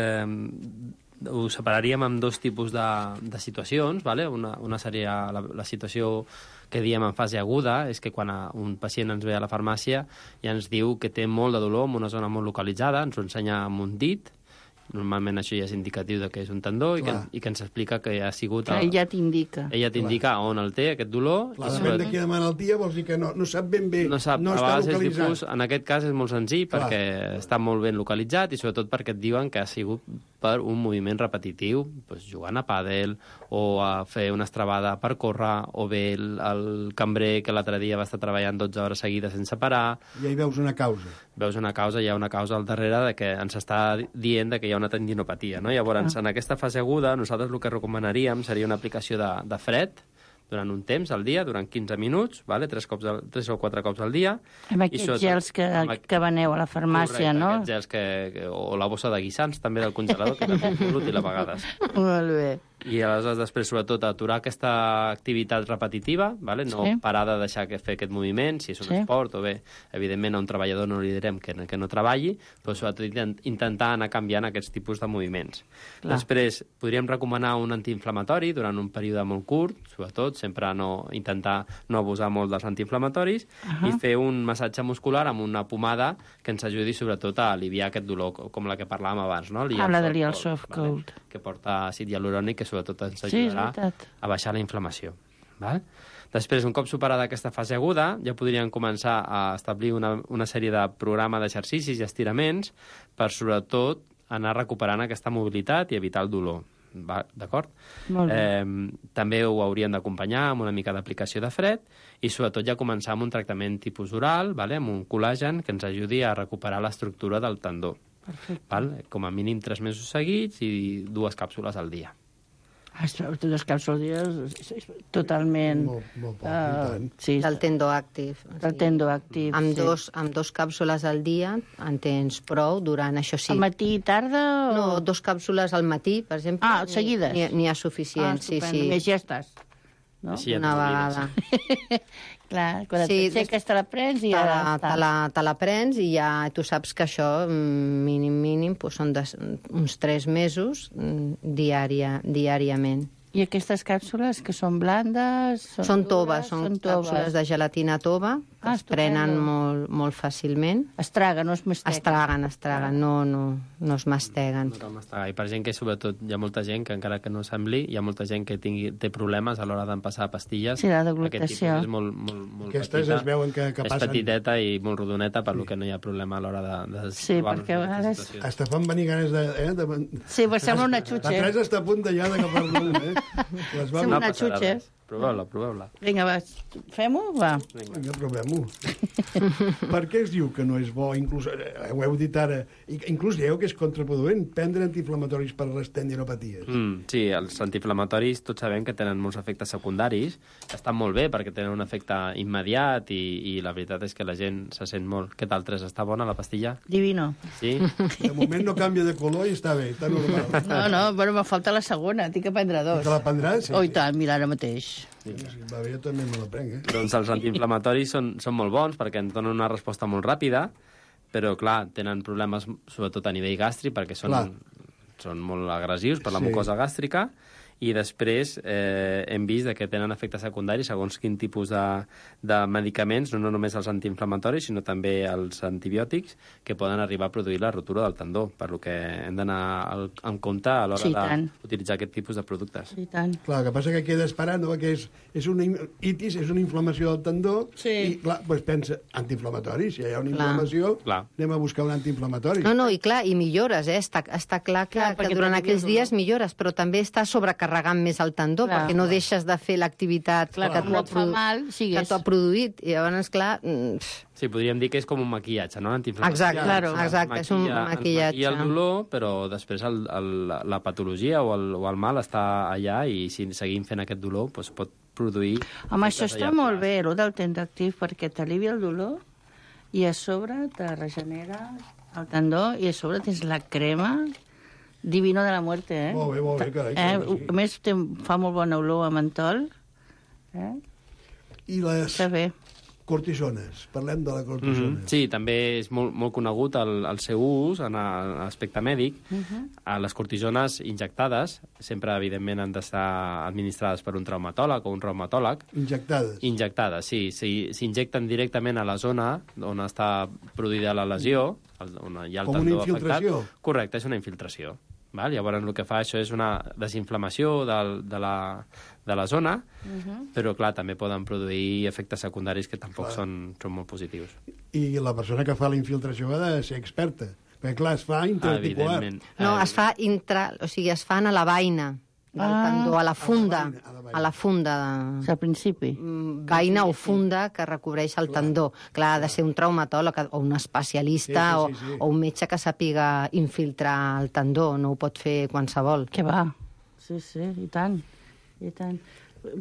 ho separaríem en dos tipus de situacions. Una seria la situació que diem en fase aguda, és que quan un pacient ens ve a la farmàcia i ens diu que té molt de dolor en una zona molt localitzada, ens ho ensenya amb un dit. Normalment això ja és indicatiu de que és un tendó i que ens explica que ha sigut... Ella t'indica. Ella t'indica on el té, aquest dolor. Depèn de quina malaltia, vols dir que no sap ben bé, no està localitzat. En aquest cas és molt senzill perquè està molt ben localitzat i sobretot perquè et diuen que ha sigut per un moviment repetitiu, doncs jugant a pàdel, o a fer una estrabada per córrer, o bé el cambrer que l'altre dia va estar treballant 12 hores seguides sense parar. I ahí veus una causa. Veus una causa, hi ha una causa al darrere de que ens està dient que hi ha una tendinopatia, no? Llavors, en aquesta fase aguda, nosaltres el que recomanaríem seria una aplicació de fred, durant un temps al dia, durant 15 minuts, vale? 3 o 4 cops al dia. Amb aquests gels que veneu a la farmàcia, correcte, no? Aquests gels o la bossa de guisants, també del congelador, que també és molt útil a vegades. Molt bé. I aleshores, després, sobretot, aturar aquesta activitat repetitiva, vale? No parar de deixar fer aquest moviment, si és un esport, o bé, evidentment, a un treballador no li direm que no treballi, però sobretot intentar anar canviant aquests tipus de moviments. Clar. Després, podríem recomanar un antiinflamatori durant un període molt curt, sobretot, sempre intentar no abusar molt dels antiinflamatoris, i fer un massatge muscular amb una pomada que ens ajudi, sobretot, a aliviar aquest dolor, com la que parlàvem abans, no? La de Lial Soft Cold. Que porta àcid hialurònic, que sobretot ens ajudarà a baixar la inflamació. Val? Després, un cop superada aquesta fase aguda, ja podríem començar a establir una sèrie de programes d'exercicis i estiraments per, sobretot, anar recuperant aquesta mobilitat i evitar el dolor. D'acord? També ho hauríem d'acompanyar amb una mica d'aplicació de fred i, sobretot, ja començar amb un tractament tipus oral, amb un col·lagen que ens ajudi a recuperar l'estructura del tendó. Com a mínim 3 mesos seguits i 2 càpsules al dia. 2 càpsules al dia, totalment... Molt poc, del tendó actiu. Del tendó actiu, amb 2 càpsules al dia en tens prou durant, això sí. Al matí i tarda? No, 2 càpsules al matí, per exemple. Seguides? N'hi ha suficient, sí. Més ja estàs. No? Una vegada. Clar, quan t'aixeques te la prens i ja te la prens i ja tu saps que això, mínim, són uns 3 mesos diàriament. I aquestes càpsules, que són blandes? Són toves, són càpsules de gelatina tova, que es prenen molt fàcilment. Es traguen, no es masteguen? Es traguen, no es masteguen. I per gent que, sobretot, hi ha molta gent que, encara que no sembli, hi ha molta gent que té problemes a l'hora d'empassar pastilles. Sí, la deglutació. Aquest tipus és molt aquestes petita. Es veuen que passen. És petiteta i molt rodoneta, per lo que no hi ha problema a l'hora de sí, perquè a vegades... Hasta fan venir ganes de... Sí, però sembla una xutxa. La Teresa està a punt ja d'agafar-lo, Sembla una xutxa. Proveu-la. Vinga, va, fem-ho? Va. Vinga, provem-ho. Per què es diu que no és bo, inclús, ho heu dit ara, inclús dieu que és contraproduent prendre antiinflamatoris per les tendinopaties? Sí, els antiinflamatoris tots sabem que tenen molts efectes secundaris, estan molt bé perquè tenen un efecte immediat i la veritat és que la gent se sent molt... Què tal, Teresa? Està bona la pastilla? Divino. Sí? De moment no canvia de color i està bé, està normal. No, bueno, me falta la segona, tinc que prendre 2. Te la prendràs? Sí. Oh, i tant, mira, ara mateix. Va bé, jo també me la prenc, Doncs els antiinflamatoris són molt bons perquè ens donen una resposta molt ràpida, però, clar, tenen problemes sobretot a nivell gàstric perquè són molt agressius per la mucosa gàstrica i després hem vist que tenen efectes secundaris segons quin tipus de medicaments, no només els antiinflamatoris, sinó també els antibiòtics, que poden arribar a produir la rotura del tendó, per lo que hem d'anar en compte a l'hora d'utilitzar aquest tipus de productes. Sí, tant. Clar, el que passa que queda esperant, no? Que és una itis, és una inflamació del tendó, i clar, doncs pensa, antiinflamatori, si hi ha una inflamació, anem a buscar un antiinflamatori. No, i clar, i millores, està clar que durant aquells dies millores, però també està sobrecarregant més el tendó, perquè no deixes de fer l'activitat que t'ho ha produït, i llavors, clar... Sí, podríem dir que és com un maquillatge, no? L'antiinflamatori. Exacte, és un maquillatge. Maquilla el dolor, però després la patologia o el mal està allà i si seguim fent aquest dolor doncs pot produir... Home, això està molt bé, el del tendactiu, perquè t'alivia el dolor i a sobre te regenera el tendó i a sobre tens la crema divino de la muerte, Molt bé, carai. A més, fa molt bona olor a mentol. I les... Està bé. Cortisones, parlem de la cortisona. Sí, també és molt conegut el seu ús en l'aspecte mèdic. Les cortisones injectades, sempre, evidentment, han d'estar administrades per un traumatòleg o un reumatòleg. Injectades? Injectades, sí. S'injecten directament a la zona on està produïda la lesió, on hi ha el tendó afectat. Com una infiltració? Correcte, és una infiltració. Llavors, el que fa això és una desinflamació de la zona, però, clar, també poden produir efectes secundaris que tampoc són molt positius. I la persona que fa la infiltració ha de ser experta. Perquè, clar, es fa intraarticular. Evidentment. No, es fa o sigui, es fan a la vaina del tendó, a la funda. A la funda. Al principi. Vaina o funda que recobreix el tendó. Clar, ha de ser un traumatòleg o un especialista Sí. o un metge que sàpiga infiltrar el tendó. No ho pot fer qualsevol. Què va? Sí, i tant. I tant.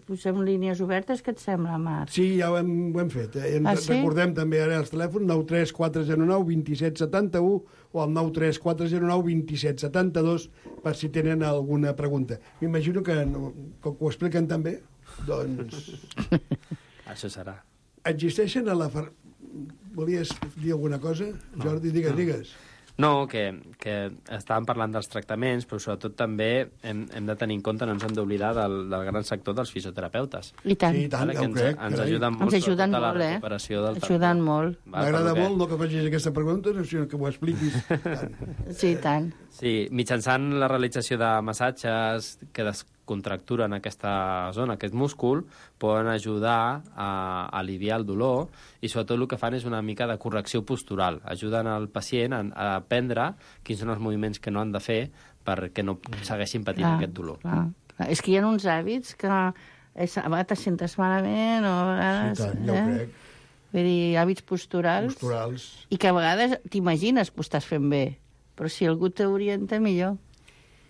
Posem línies obertes, què et sembla, Marc? Sí, ja ho hem fet. Sí? Recordem també ara els telèfons 93409 2771 o el 93409 2772 per si tenen alguna pregunta. M'imagino que com ho expliquen també, doncs... Això serà. Existeixen a la... Volies dir alguna cosa? Jordi, digues. No, que estàvem parlant dels tractaments, però sobretot també hem de tenir en compte, no ens hem d'oblidar del gran sector dels fisioterapeutes. I tant. Sí, i tant, ja ho crec. Ens ajuden molt, ajuden sobretot a la molt, recuperació del ajuden molt. M'agrada molt no que facis aquesta pregunta, sinó que ho expliquis. Sí, i tant. Sí, mitjançant la realització de massatges que descontracturen aquesta zona, aquest múscul, poden ajudar a aliviar el dolor i sobretot el que fan és una mica de correcció postural. Ajuden el pacient a aprendre quins són els moviments que no han de fer perquè no segueixin patint aquest dolor. Clar. És que hi ha uns hàbits que a vegades te sentes malament o a vegades... Sí, tant, ja ho crec. Vull dir, hàbits posturals. I que a vegades t'imagines que ho estàs fent bé, però si algú t'orienta, millor.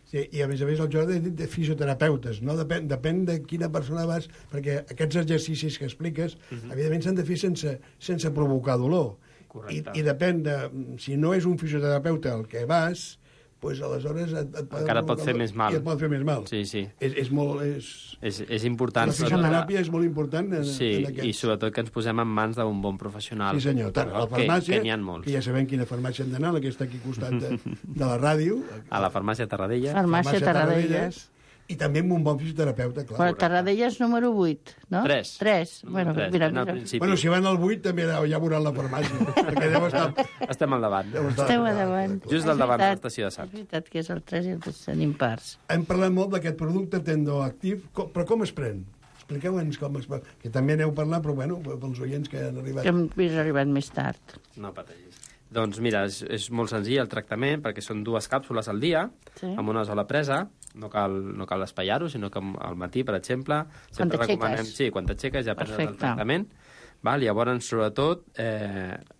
Sí, i a més el Jordi ha dit de fisioterapeutes, no? Depèn de quina persona vas, perquè aquests exercicis que expliques, evidentment s'han de fer sense provocar dolor. I depèn de... Si no és un fisioterapeuta el que vas, doncs aleshores encara pot fer més mal. I et pot fer més mal. Sí. És important. La fisioteràpia és molt important en aquests... I sobretot que ens posem en mans d'un bon professional. Sí, senyor. Tant a la farmàcia, que n'hi ha molts. Que ja sabem quina farmàcia hem d'anar, la que està aquí al costat de la ràdio. A la farmàcia Tarradellas. Farmàcia Tarradellas. I també amb un bon fisioterapeuta, clar. Bueno, Tarradellas número 8, no? 3. Bueno, mira. Bueno, si van al 8 també ja veuran la farmàcia, perquè deu estar... Estem al davant. Esteu al davant. Just al davant de l'estació de Sants. És veritat que és el 3 i el 3 en impars. Hem parlat molt d'aquest producte tendoactiv, però com es pren? Expliqueu-nos com es pren. Que també n'heu parlat, però bueno, pels oients que han arribat... Que hem arribat més tard. No pateixis. Doncs mira, és molt senzill el tractament, perquè són 2 càpsules al dia, amb una sola presa. No cal espaiar-ho, sinó que al matí, per exemple, sempre recomanem... Sí, quan t'aixeques ja prens el tractament. Llavors, sobretot,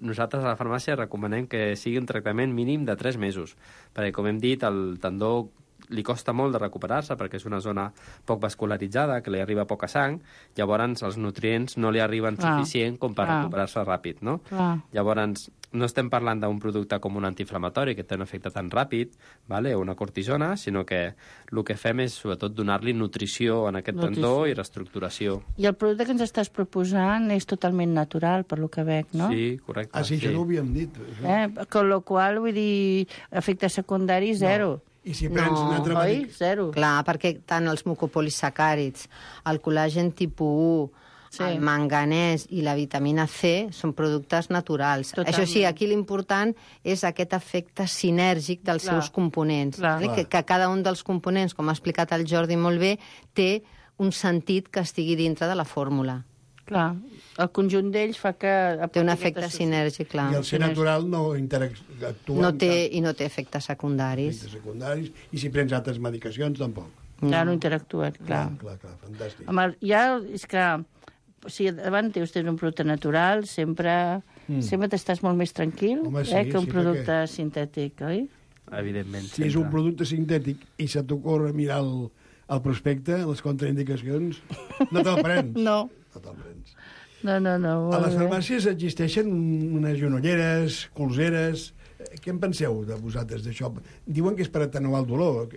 nosaltres a la farmàcia recomanem que sigui un tractament mínim de 3 mesos, perquè, com hem dit, el tendó li costa molt de recuperar-se perquè és una zona poc vascularitzada, que li arriba poca sang, llavors els nutrients no li arriben suficient com per recuperar-se ràpid, no? Llavors, no estem parlant d'un producte com un antiinflamatori que té un efecte tan ràpid, o una cortisona, sinó que el que fem és sobretot donar-li nutrició en aquest tendó i reestructuració. I el producte que ens estàs proposant és totalment natural, per lo que veig, no? Sí, correcte. Ah, sí, això no ho havíem dit. Con lo qual, vull dir, efectes secundaris, zero. I si prens un altre oi? Zero. Clar, perquè tant els mucopolisacàrids, el col·làgen tipus 1, el manganès i la vitamina C són productes naturals. Totalment. Això sí, aquí l'important és aquest efecte sinèrgic dels seus components. Que cada un dels components, com ha explicat el Jordi molt bé, té un sentit que estigui dintre de la fórmula. Clar, el conjunt d'ells fa que... Té un efecte sinèrgic, clar. I el ser natural no interactua... No té efectes secundaris. I si prens altres medicacions, tampoc. Ja no interactuen, clar. Clar, fantàstic. Ja és que... Si davant teus tens un producte natural, sempre t'estàs molt més tranquil que un producte sintètic, oi? Evidentment. Si és un producte sintètic i se t'ocorre mirar el prospecte, les contraindicacions, no te'l prens. No. No te'l prens. No. A les farmàcies existeixen unes genolleres, colzeres... Què en penseu de vosaltres, d'això? Diuen que és per atenuar el dolor.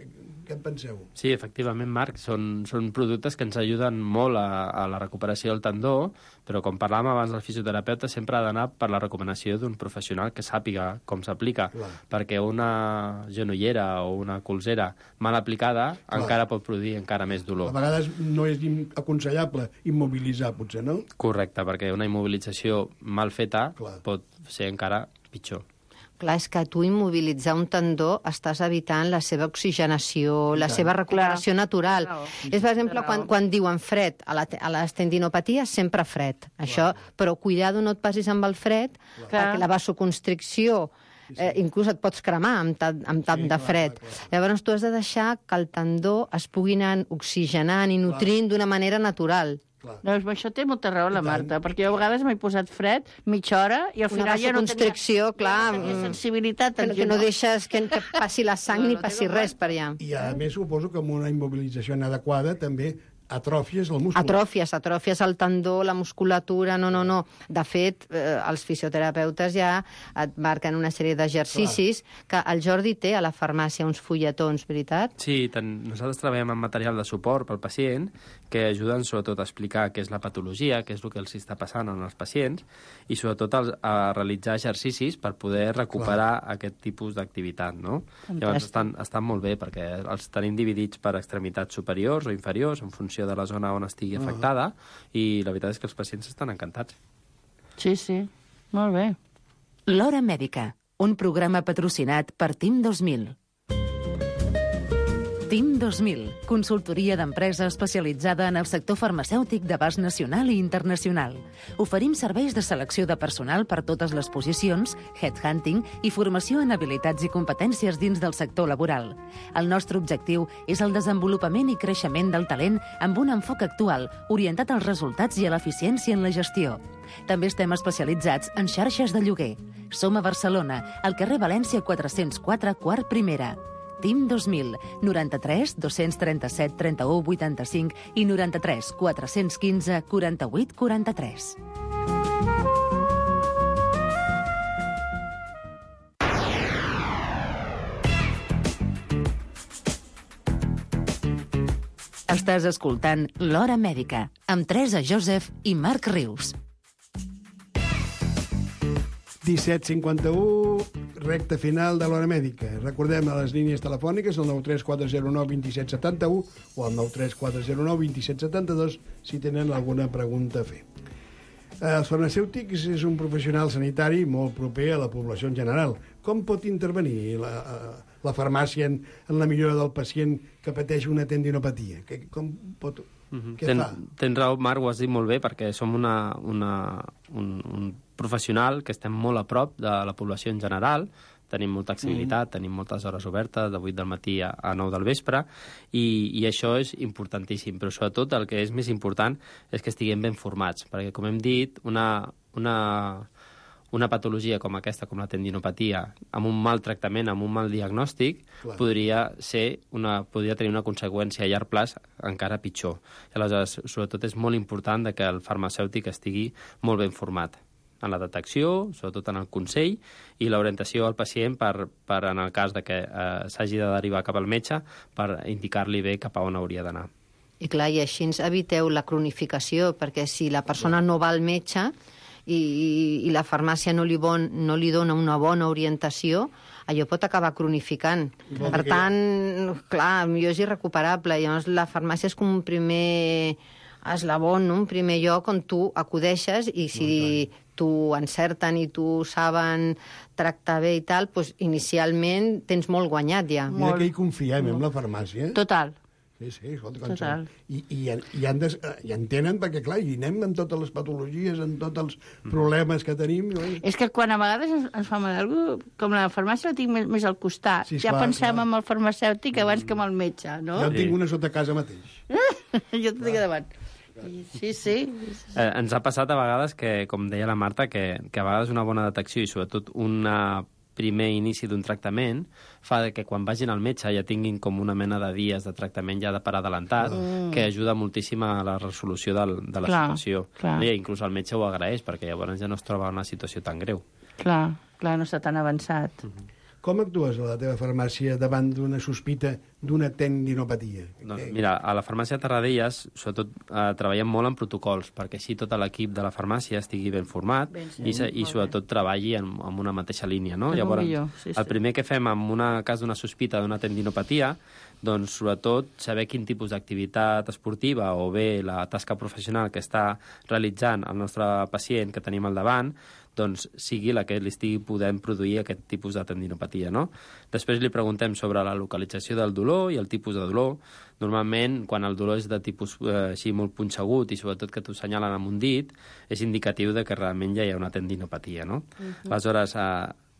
Què en penseu? Sí, efectivament, Marc, són productes que ens ajuden molt a la recuperació del tendó, però com parlàvem abans del fisioterapeuta, sempre ha d'anar per la recomanació d'un professional que sàpiga com s'aplica, perquè una genollera o una colzera mal aplicada encara pot produir encara més dolor. A vegades no és aconsellable immobilitzar, potser, no? Correcte, perquè una immobilització mal feta pot ser encara pitjor. Clar, és que tu immobilitzar un tendó estàs evitant la seva oxigenació, la seva recuperació natural. És, per exemple, quan diuen fred, a les tendinopaties sempre fred. Això, però cuidado, no et passis amb el fred, perquè la vasoconstricció inclús et pots cremar amb tant de fred. Llavors tu has de deixar que el tendó es pugui anar oxigenant i nutrint d'una manera natural. Doncs això té molta raó la Marta, perquè jo a vegades m'he posat fred mitja hora i al final ja no tenia sensibilitat. Que no deixes que passi la sang ni passi res per allà. I a més suposo que amb una immobilització inadequada també atròfies el múscul. Atròfies el tendó, la musculatura, no. De fet, els fisioterapeutes ja et marquen una sèrie d'exercicis que el Jordi té a la farmàcia, uns fulletons, veritat? Sí, nosaltres treballem amb material de suport pel pacient que ajuden sobretot a explicar què és la patologia, què és el que els està passant als pacients i sobretot a realitzar exercicis per poder recuperar aquest tipus d'activitat, no? Llavors estan molt bé perquè els tenim dividits per extremitats superiors o inferiors en funció de la zona on estigui afectada i la veritat és que els pacients estan encantats. Sí, molt bé. L'Hora Mèdica, un programa patrocinat per TIM 2000. TIM 2000, consultoria d'empresa especialitzada en el sector farmacèutic d'abast nacional i internacional. Oferim serveis de selecció de personal per totes les posicions, headhunting i formació en habilitats i competències dins del sector laboral. El nostre objectiu és el desenvolupament i creixement del talent amb un enfoc actual, orientat als resultats i a l'eficiència en la gestió. També estem especialitzats en xarxes de lloguer. Som a Barcelona, al carrer València 404, quart primera. TIM 2000, 93 237 31 85 i 93 415 48 43. Estàs escoltant L'Hora Mèdica, amb Teresa Joseph i Marc Rius. 17:51, recta final de l'Hora Mèdica. Recordem a les línies telefòniques el 93409 2771 o el 93409 2772 si tenen alguna pregunta a fer. Els farmacèutics és un professional sanitari molt proper a la població en general. Com pot intervenir la farmàcia en la millora del pacient que pateix una tendinopatia? Com pot... Què fa? Tens raó, Marc, ho has dit molt bé, perquè som un professional que estem molt a prop de la població en general, tenim molta accessibilitat, tenim moltes hores obertes, de 8 del matí a 9 del vespre, i això és importantíssim, però sobretot el que és més important és que estiguem ben formats, perquè, com hem dit, una patologia com aquesta, com la tendinopatia, amb un mal tractament, amb un mal diagnòstic, podria tenir una conseqüència a llarg plaç encara pitjor. Aleshores, sobretot és molt important que el farmacèutic estigui molt ben format en la detecció, sobretot en el consell, i l'orientació al pacient per en el cas de que s'hagi de derivar cap al metge, per indicar-li bé cap a on hauria d'anar. I clar, i així ens eviteu la cronificació, perquè si la persona no va al metge i la farmàcia no li dona una bona orientació, allò pot acabar cronificant. Per tant, clar, millor és irrecuperable. Llavors, la farmàcia és com un primer eslabó, un primer lloc on tu acudeixes i si t'ho encerten i t'ho saben tractar bé i tal, doncs inicialment tens molt guanyat ja. Mira que hi confiem, en la farmàcia. Total. Sí, escolta, i entenen, perquè clar, hi anem amb totes les patologies, amb tots els problemes que tenim. És que quan a vegades ens fa mal alguna cosa, com la farmàcia la tinc més al costat, ja pensem en el farmacèutic abans que en el metge, no? Jo en tinc una sota casa mateix. Jo t'ho dic davant. Sí. Ens ha passat a vegades que, com deia la Marta, que a vegades una bona detecció i sobretot una primer inici d'un tractament fa que quan vagin al metge ja tinguin com una mena de dies de tractament ja per adelantat, que ajuda moltíssim a la resolució de la situació. I inclús el metge ho agraeix, perquè llavors ja no es troba en una situació tan greu. Clar, no està tan avançat. Com actues a la teva farmàcia davant d'una sospita d'una tendinopatia? Doncs mira, a la farmàcia de Tarradellas, sobretot, treballem molt en protocols, perquè així tot l'equip de la farmàcia estigui ben format i sobretot treballi en una mateixa línia, no? Llavors, el primer que fem en un cas d'una sospita d'una tendinopatia, doncs, sobretot, saber quin tipus d'activitat esportiva o bé la tasca professional que està realitzant el nostre pacient que tenim al davant, doncs sigui la que li estigui podent produir aquest tipus de tendinopatia, no? Després li preguntem sobre la localització del dolor i el tipus de dolor. Normalment, quan el dolor és de tipus així molt punxegut i sobretot que t'ho senyalen amb un dit, és indicatiu de que realment ja hi ha una tendinopatia, no? Aleshores,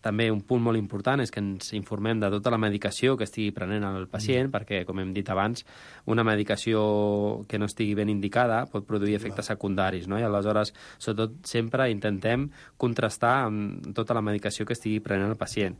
També un punt molt important és que ens informem de tota la medicació que estigui prenent el pacient, perquè, com hem dit abans, una medicació que no estigui ben indicada pot produir efectes secundaris, no? I aleshores, sobretot, sempre intentem contrastar amb tota la medicació que estigui prenent el pacient.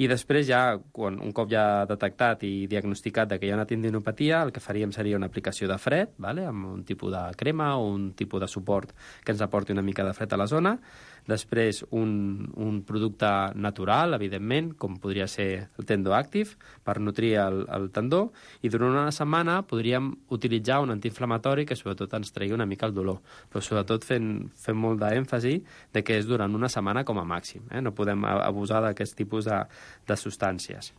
I després ja, un cop ja detectat i diagnosticat que hi ha una tendinopatia, el que faríem seria una aplicació de fred, vale? Amb un tipus de crema o un tipus de suport que ens aporti una mica de fred a la zona. Després un producte natural, evidentment, com podria ser el Tendoactive, per nutrir el tendó, i durant una setmana podríem utilitzar un antiinflamatori que sobretot ens tregui una mica el dolor, però sobretot fent molt d'èmfasi de que és durant una setmana com a màxim. No podem abusar d'aquest tipus de substàncies.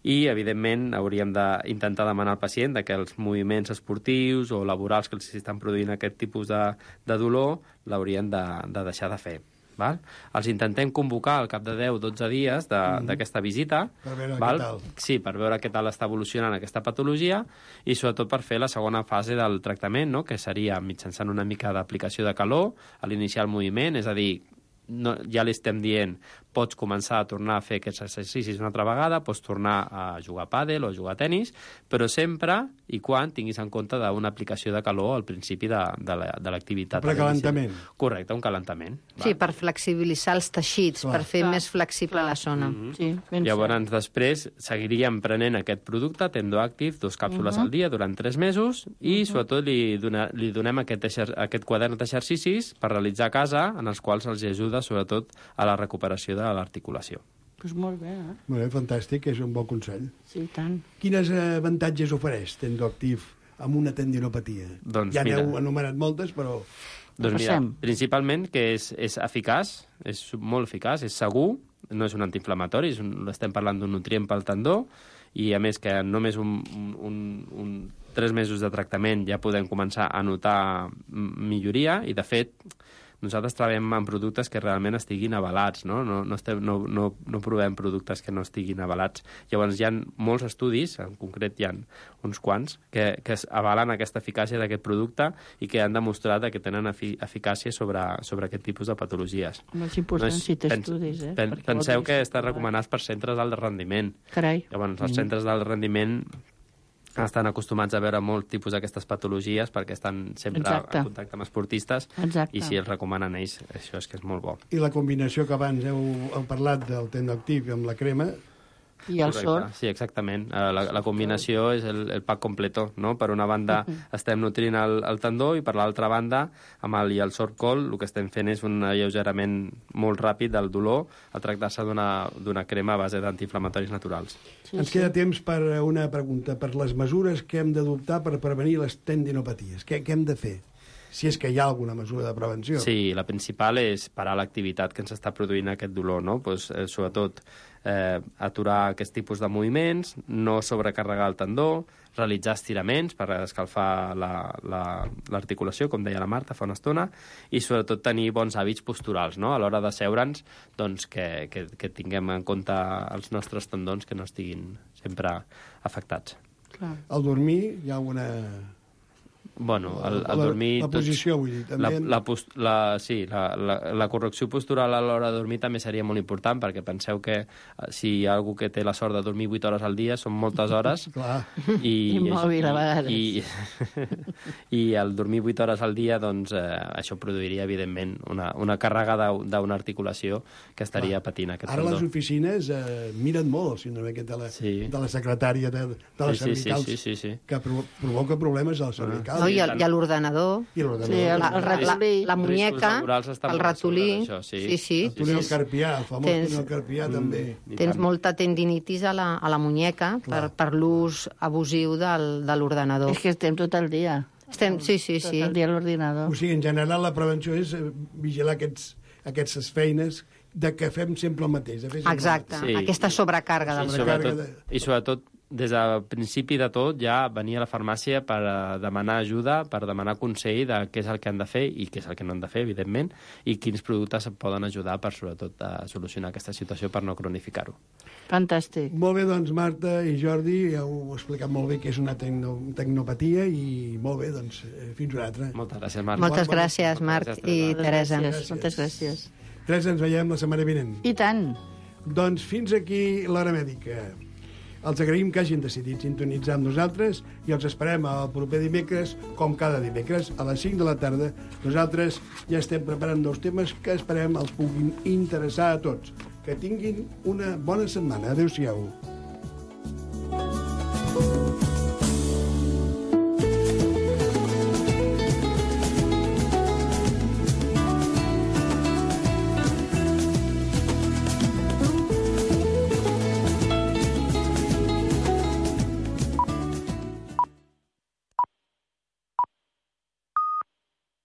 I, evidentment, hauríem d'intentar demanar al pacient que els moviments esportius o laborals que els estan produint aquest tipus de dolor l'haurien de deixar de fer. Val? Els intentem convocar al cap de 10-12 dies d'aquesta visita. Per veure val? què tal. Sí, per veure què tal està evolucionant aquesta patologia i sobretot per fer la segona fase del tractament, no? Que seria mitjançant una mica d'aplicació de calor a l'iniciar el moviment, és a dir, ja li estem dient pots començar a tornar a fer aquests exercicis una altra vegada, pots tornar a jugar a pàdel o a jugar a tenis, però sempre i quan tinguis en compte d'una aplicació de calor al principi de l'activitat. Precalentament. Correcte, un calentament. Sí, per flexibilitzar els teixits, per fer més flexible la zona. Sí, llavors, després, seguiríem prenent aquest producte, Tendoactive, 2 càpsules al dia durant 3 mesos i, sobretot, li donem aquest quadern d'exercicis per realitzar a casa, en els quals els ajuda, sobretot, a la recuperació de l'articulació. Doncs molt bé, eh? Molt bé, fantàstic, és un bon consell. Sí, tant. Quines avantatges ofereix Tendoactive amb una tendinopatia? Doncs, ja n'heu anomenat moltes, però... Doncs mira, principalment que és eficaç, és molt eficaç, és segur, no és un antiinflamatori, estem parlant d'un nutrient pel tendó, i a més que només 3 mesos de tractament ja podem començar a notar milloria, i de fet nosaltres treballem en productes que realment estiguin avalats, no? No provem productes que no estiguin avalats. Llavors hi ha molts estudis, en concret hi ha uns quants, que avalen aquesta eficàcia d'aquest producte i que han demostrat que tenen eficàcia sobre aquest tipus de patologies. És important si té estudis, eh? Penseu que està recomanat per centres d'alt rendiment. Carai. Llavors els centres d'alt rendiment estan acostumats a veure molt tipus d'aquestes patologies perquè estan sempre en contacte amb esportistes. I si els recomanen ells, això és que és molt bo. I la combinació que abans heu parlat del Tendoactive amb la crema... I el sort. Sí, exactament. La combinació és el pack completo, no? Per una banda estem nutrint el tendó i per l'altra banda, amb el sort col, el que estem fent és un alleugerament molt ràpid del dolor a tractar-se d'una crema a base d'antiinflamatoris naturals. Ens queda temps per una pregunta. Per les mesures que hem d'adoptar per prevenir les tendinopaties, què hem de fer? Si és que hi ha alguna mesura de prevenció. Sí, la principal és parar l'activitat que ens està produint aquest dolor, no? Pues, sobretot aturar aquest tipus de moviments, no sobrecarregar el tendó, realitzar estiraments per escalfar l'articulació, com deia la Marta fa una estona, i sobretot tenir bons hàbits posturals, no? A l'hora de seure'ns, doncs, que tinguem en compte els nostres tendons que no estiguin sempre afectats. Clar. Al dormir hi ha una... Bueno, al dormir... La posició, vull dir, també... La correcció postural a l'hora de dormir també seria molt important, perquè penseu que si hi ha algú que té la sort de dormir 8 hores al dia, són moltes hores. Clar. I mòbil a vegades. I al dormir 8 hores al dia, doncs, això produiria, evidentment, una càrrega d'una articulació que estaria patint aquest tendó. Ara les oficines miren molt el síndrome aquest de la secretària de les cervicals, que provoca problemes a les cervicals. I a l'ordenador. La muñeca, el ratolí. Sí. El túnel carpià, el famós túnel carpià, també. Tens molta tendinitis a la muñeca per l'ús abusiu de l'ordenador. És que estem tot el dia. Sí. Tot el dia a l'ordinador. O sigui, en general, la prevenció és vigilar aquestes feines de que fem sempre el mateix. Exacte, aquesta sobrecàrrega del treball. I sobretot, des del principi de tot ja venia a la farmàcia per demanar ajuda, per demanar consell de què és el que han de fer i què és el que no han de fer, evidentment, i quins productes poden ajudar per, sobretot, a solucionar aquesta situació per no cronificar-ho. Fantàstic. Molt bé, doncs, Marta i Jordi, ja ho heu explicat molt bé que és una tecnopatia i molt bé, doncs, fins una altra. Moltes gràcies, Marc. Moltes gràcies, Marc i Teresa. Moltes gràcies. Teresa, ens veiem la setmana vinent. I tant. Doncs fins aquí l'Hora Mèdica. Els agraïm que hagin decidit sintonitzar amb nosaltres i els esperem el proper dimecres, com cada dimecres, a les 5 de la tarda. Nosaltres ja estem preparant nous temes que esperem els puguin interessar a tots. Que tinguin una bona setmana. Adéu-siau.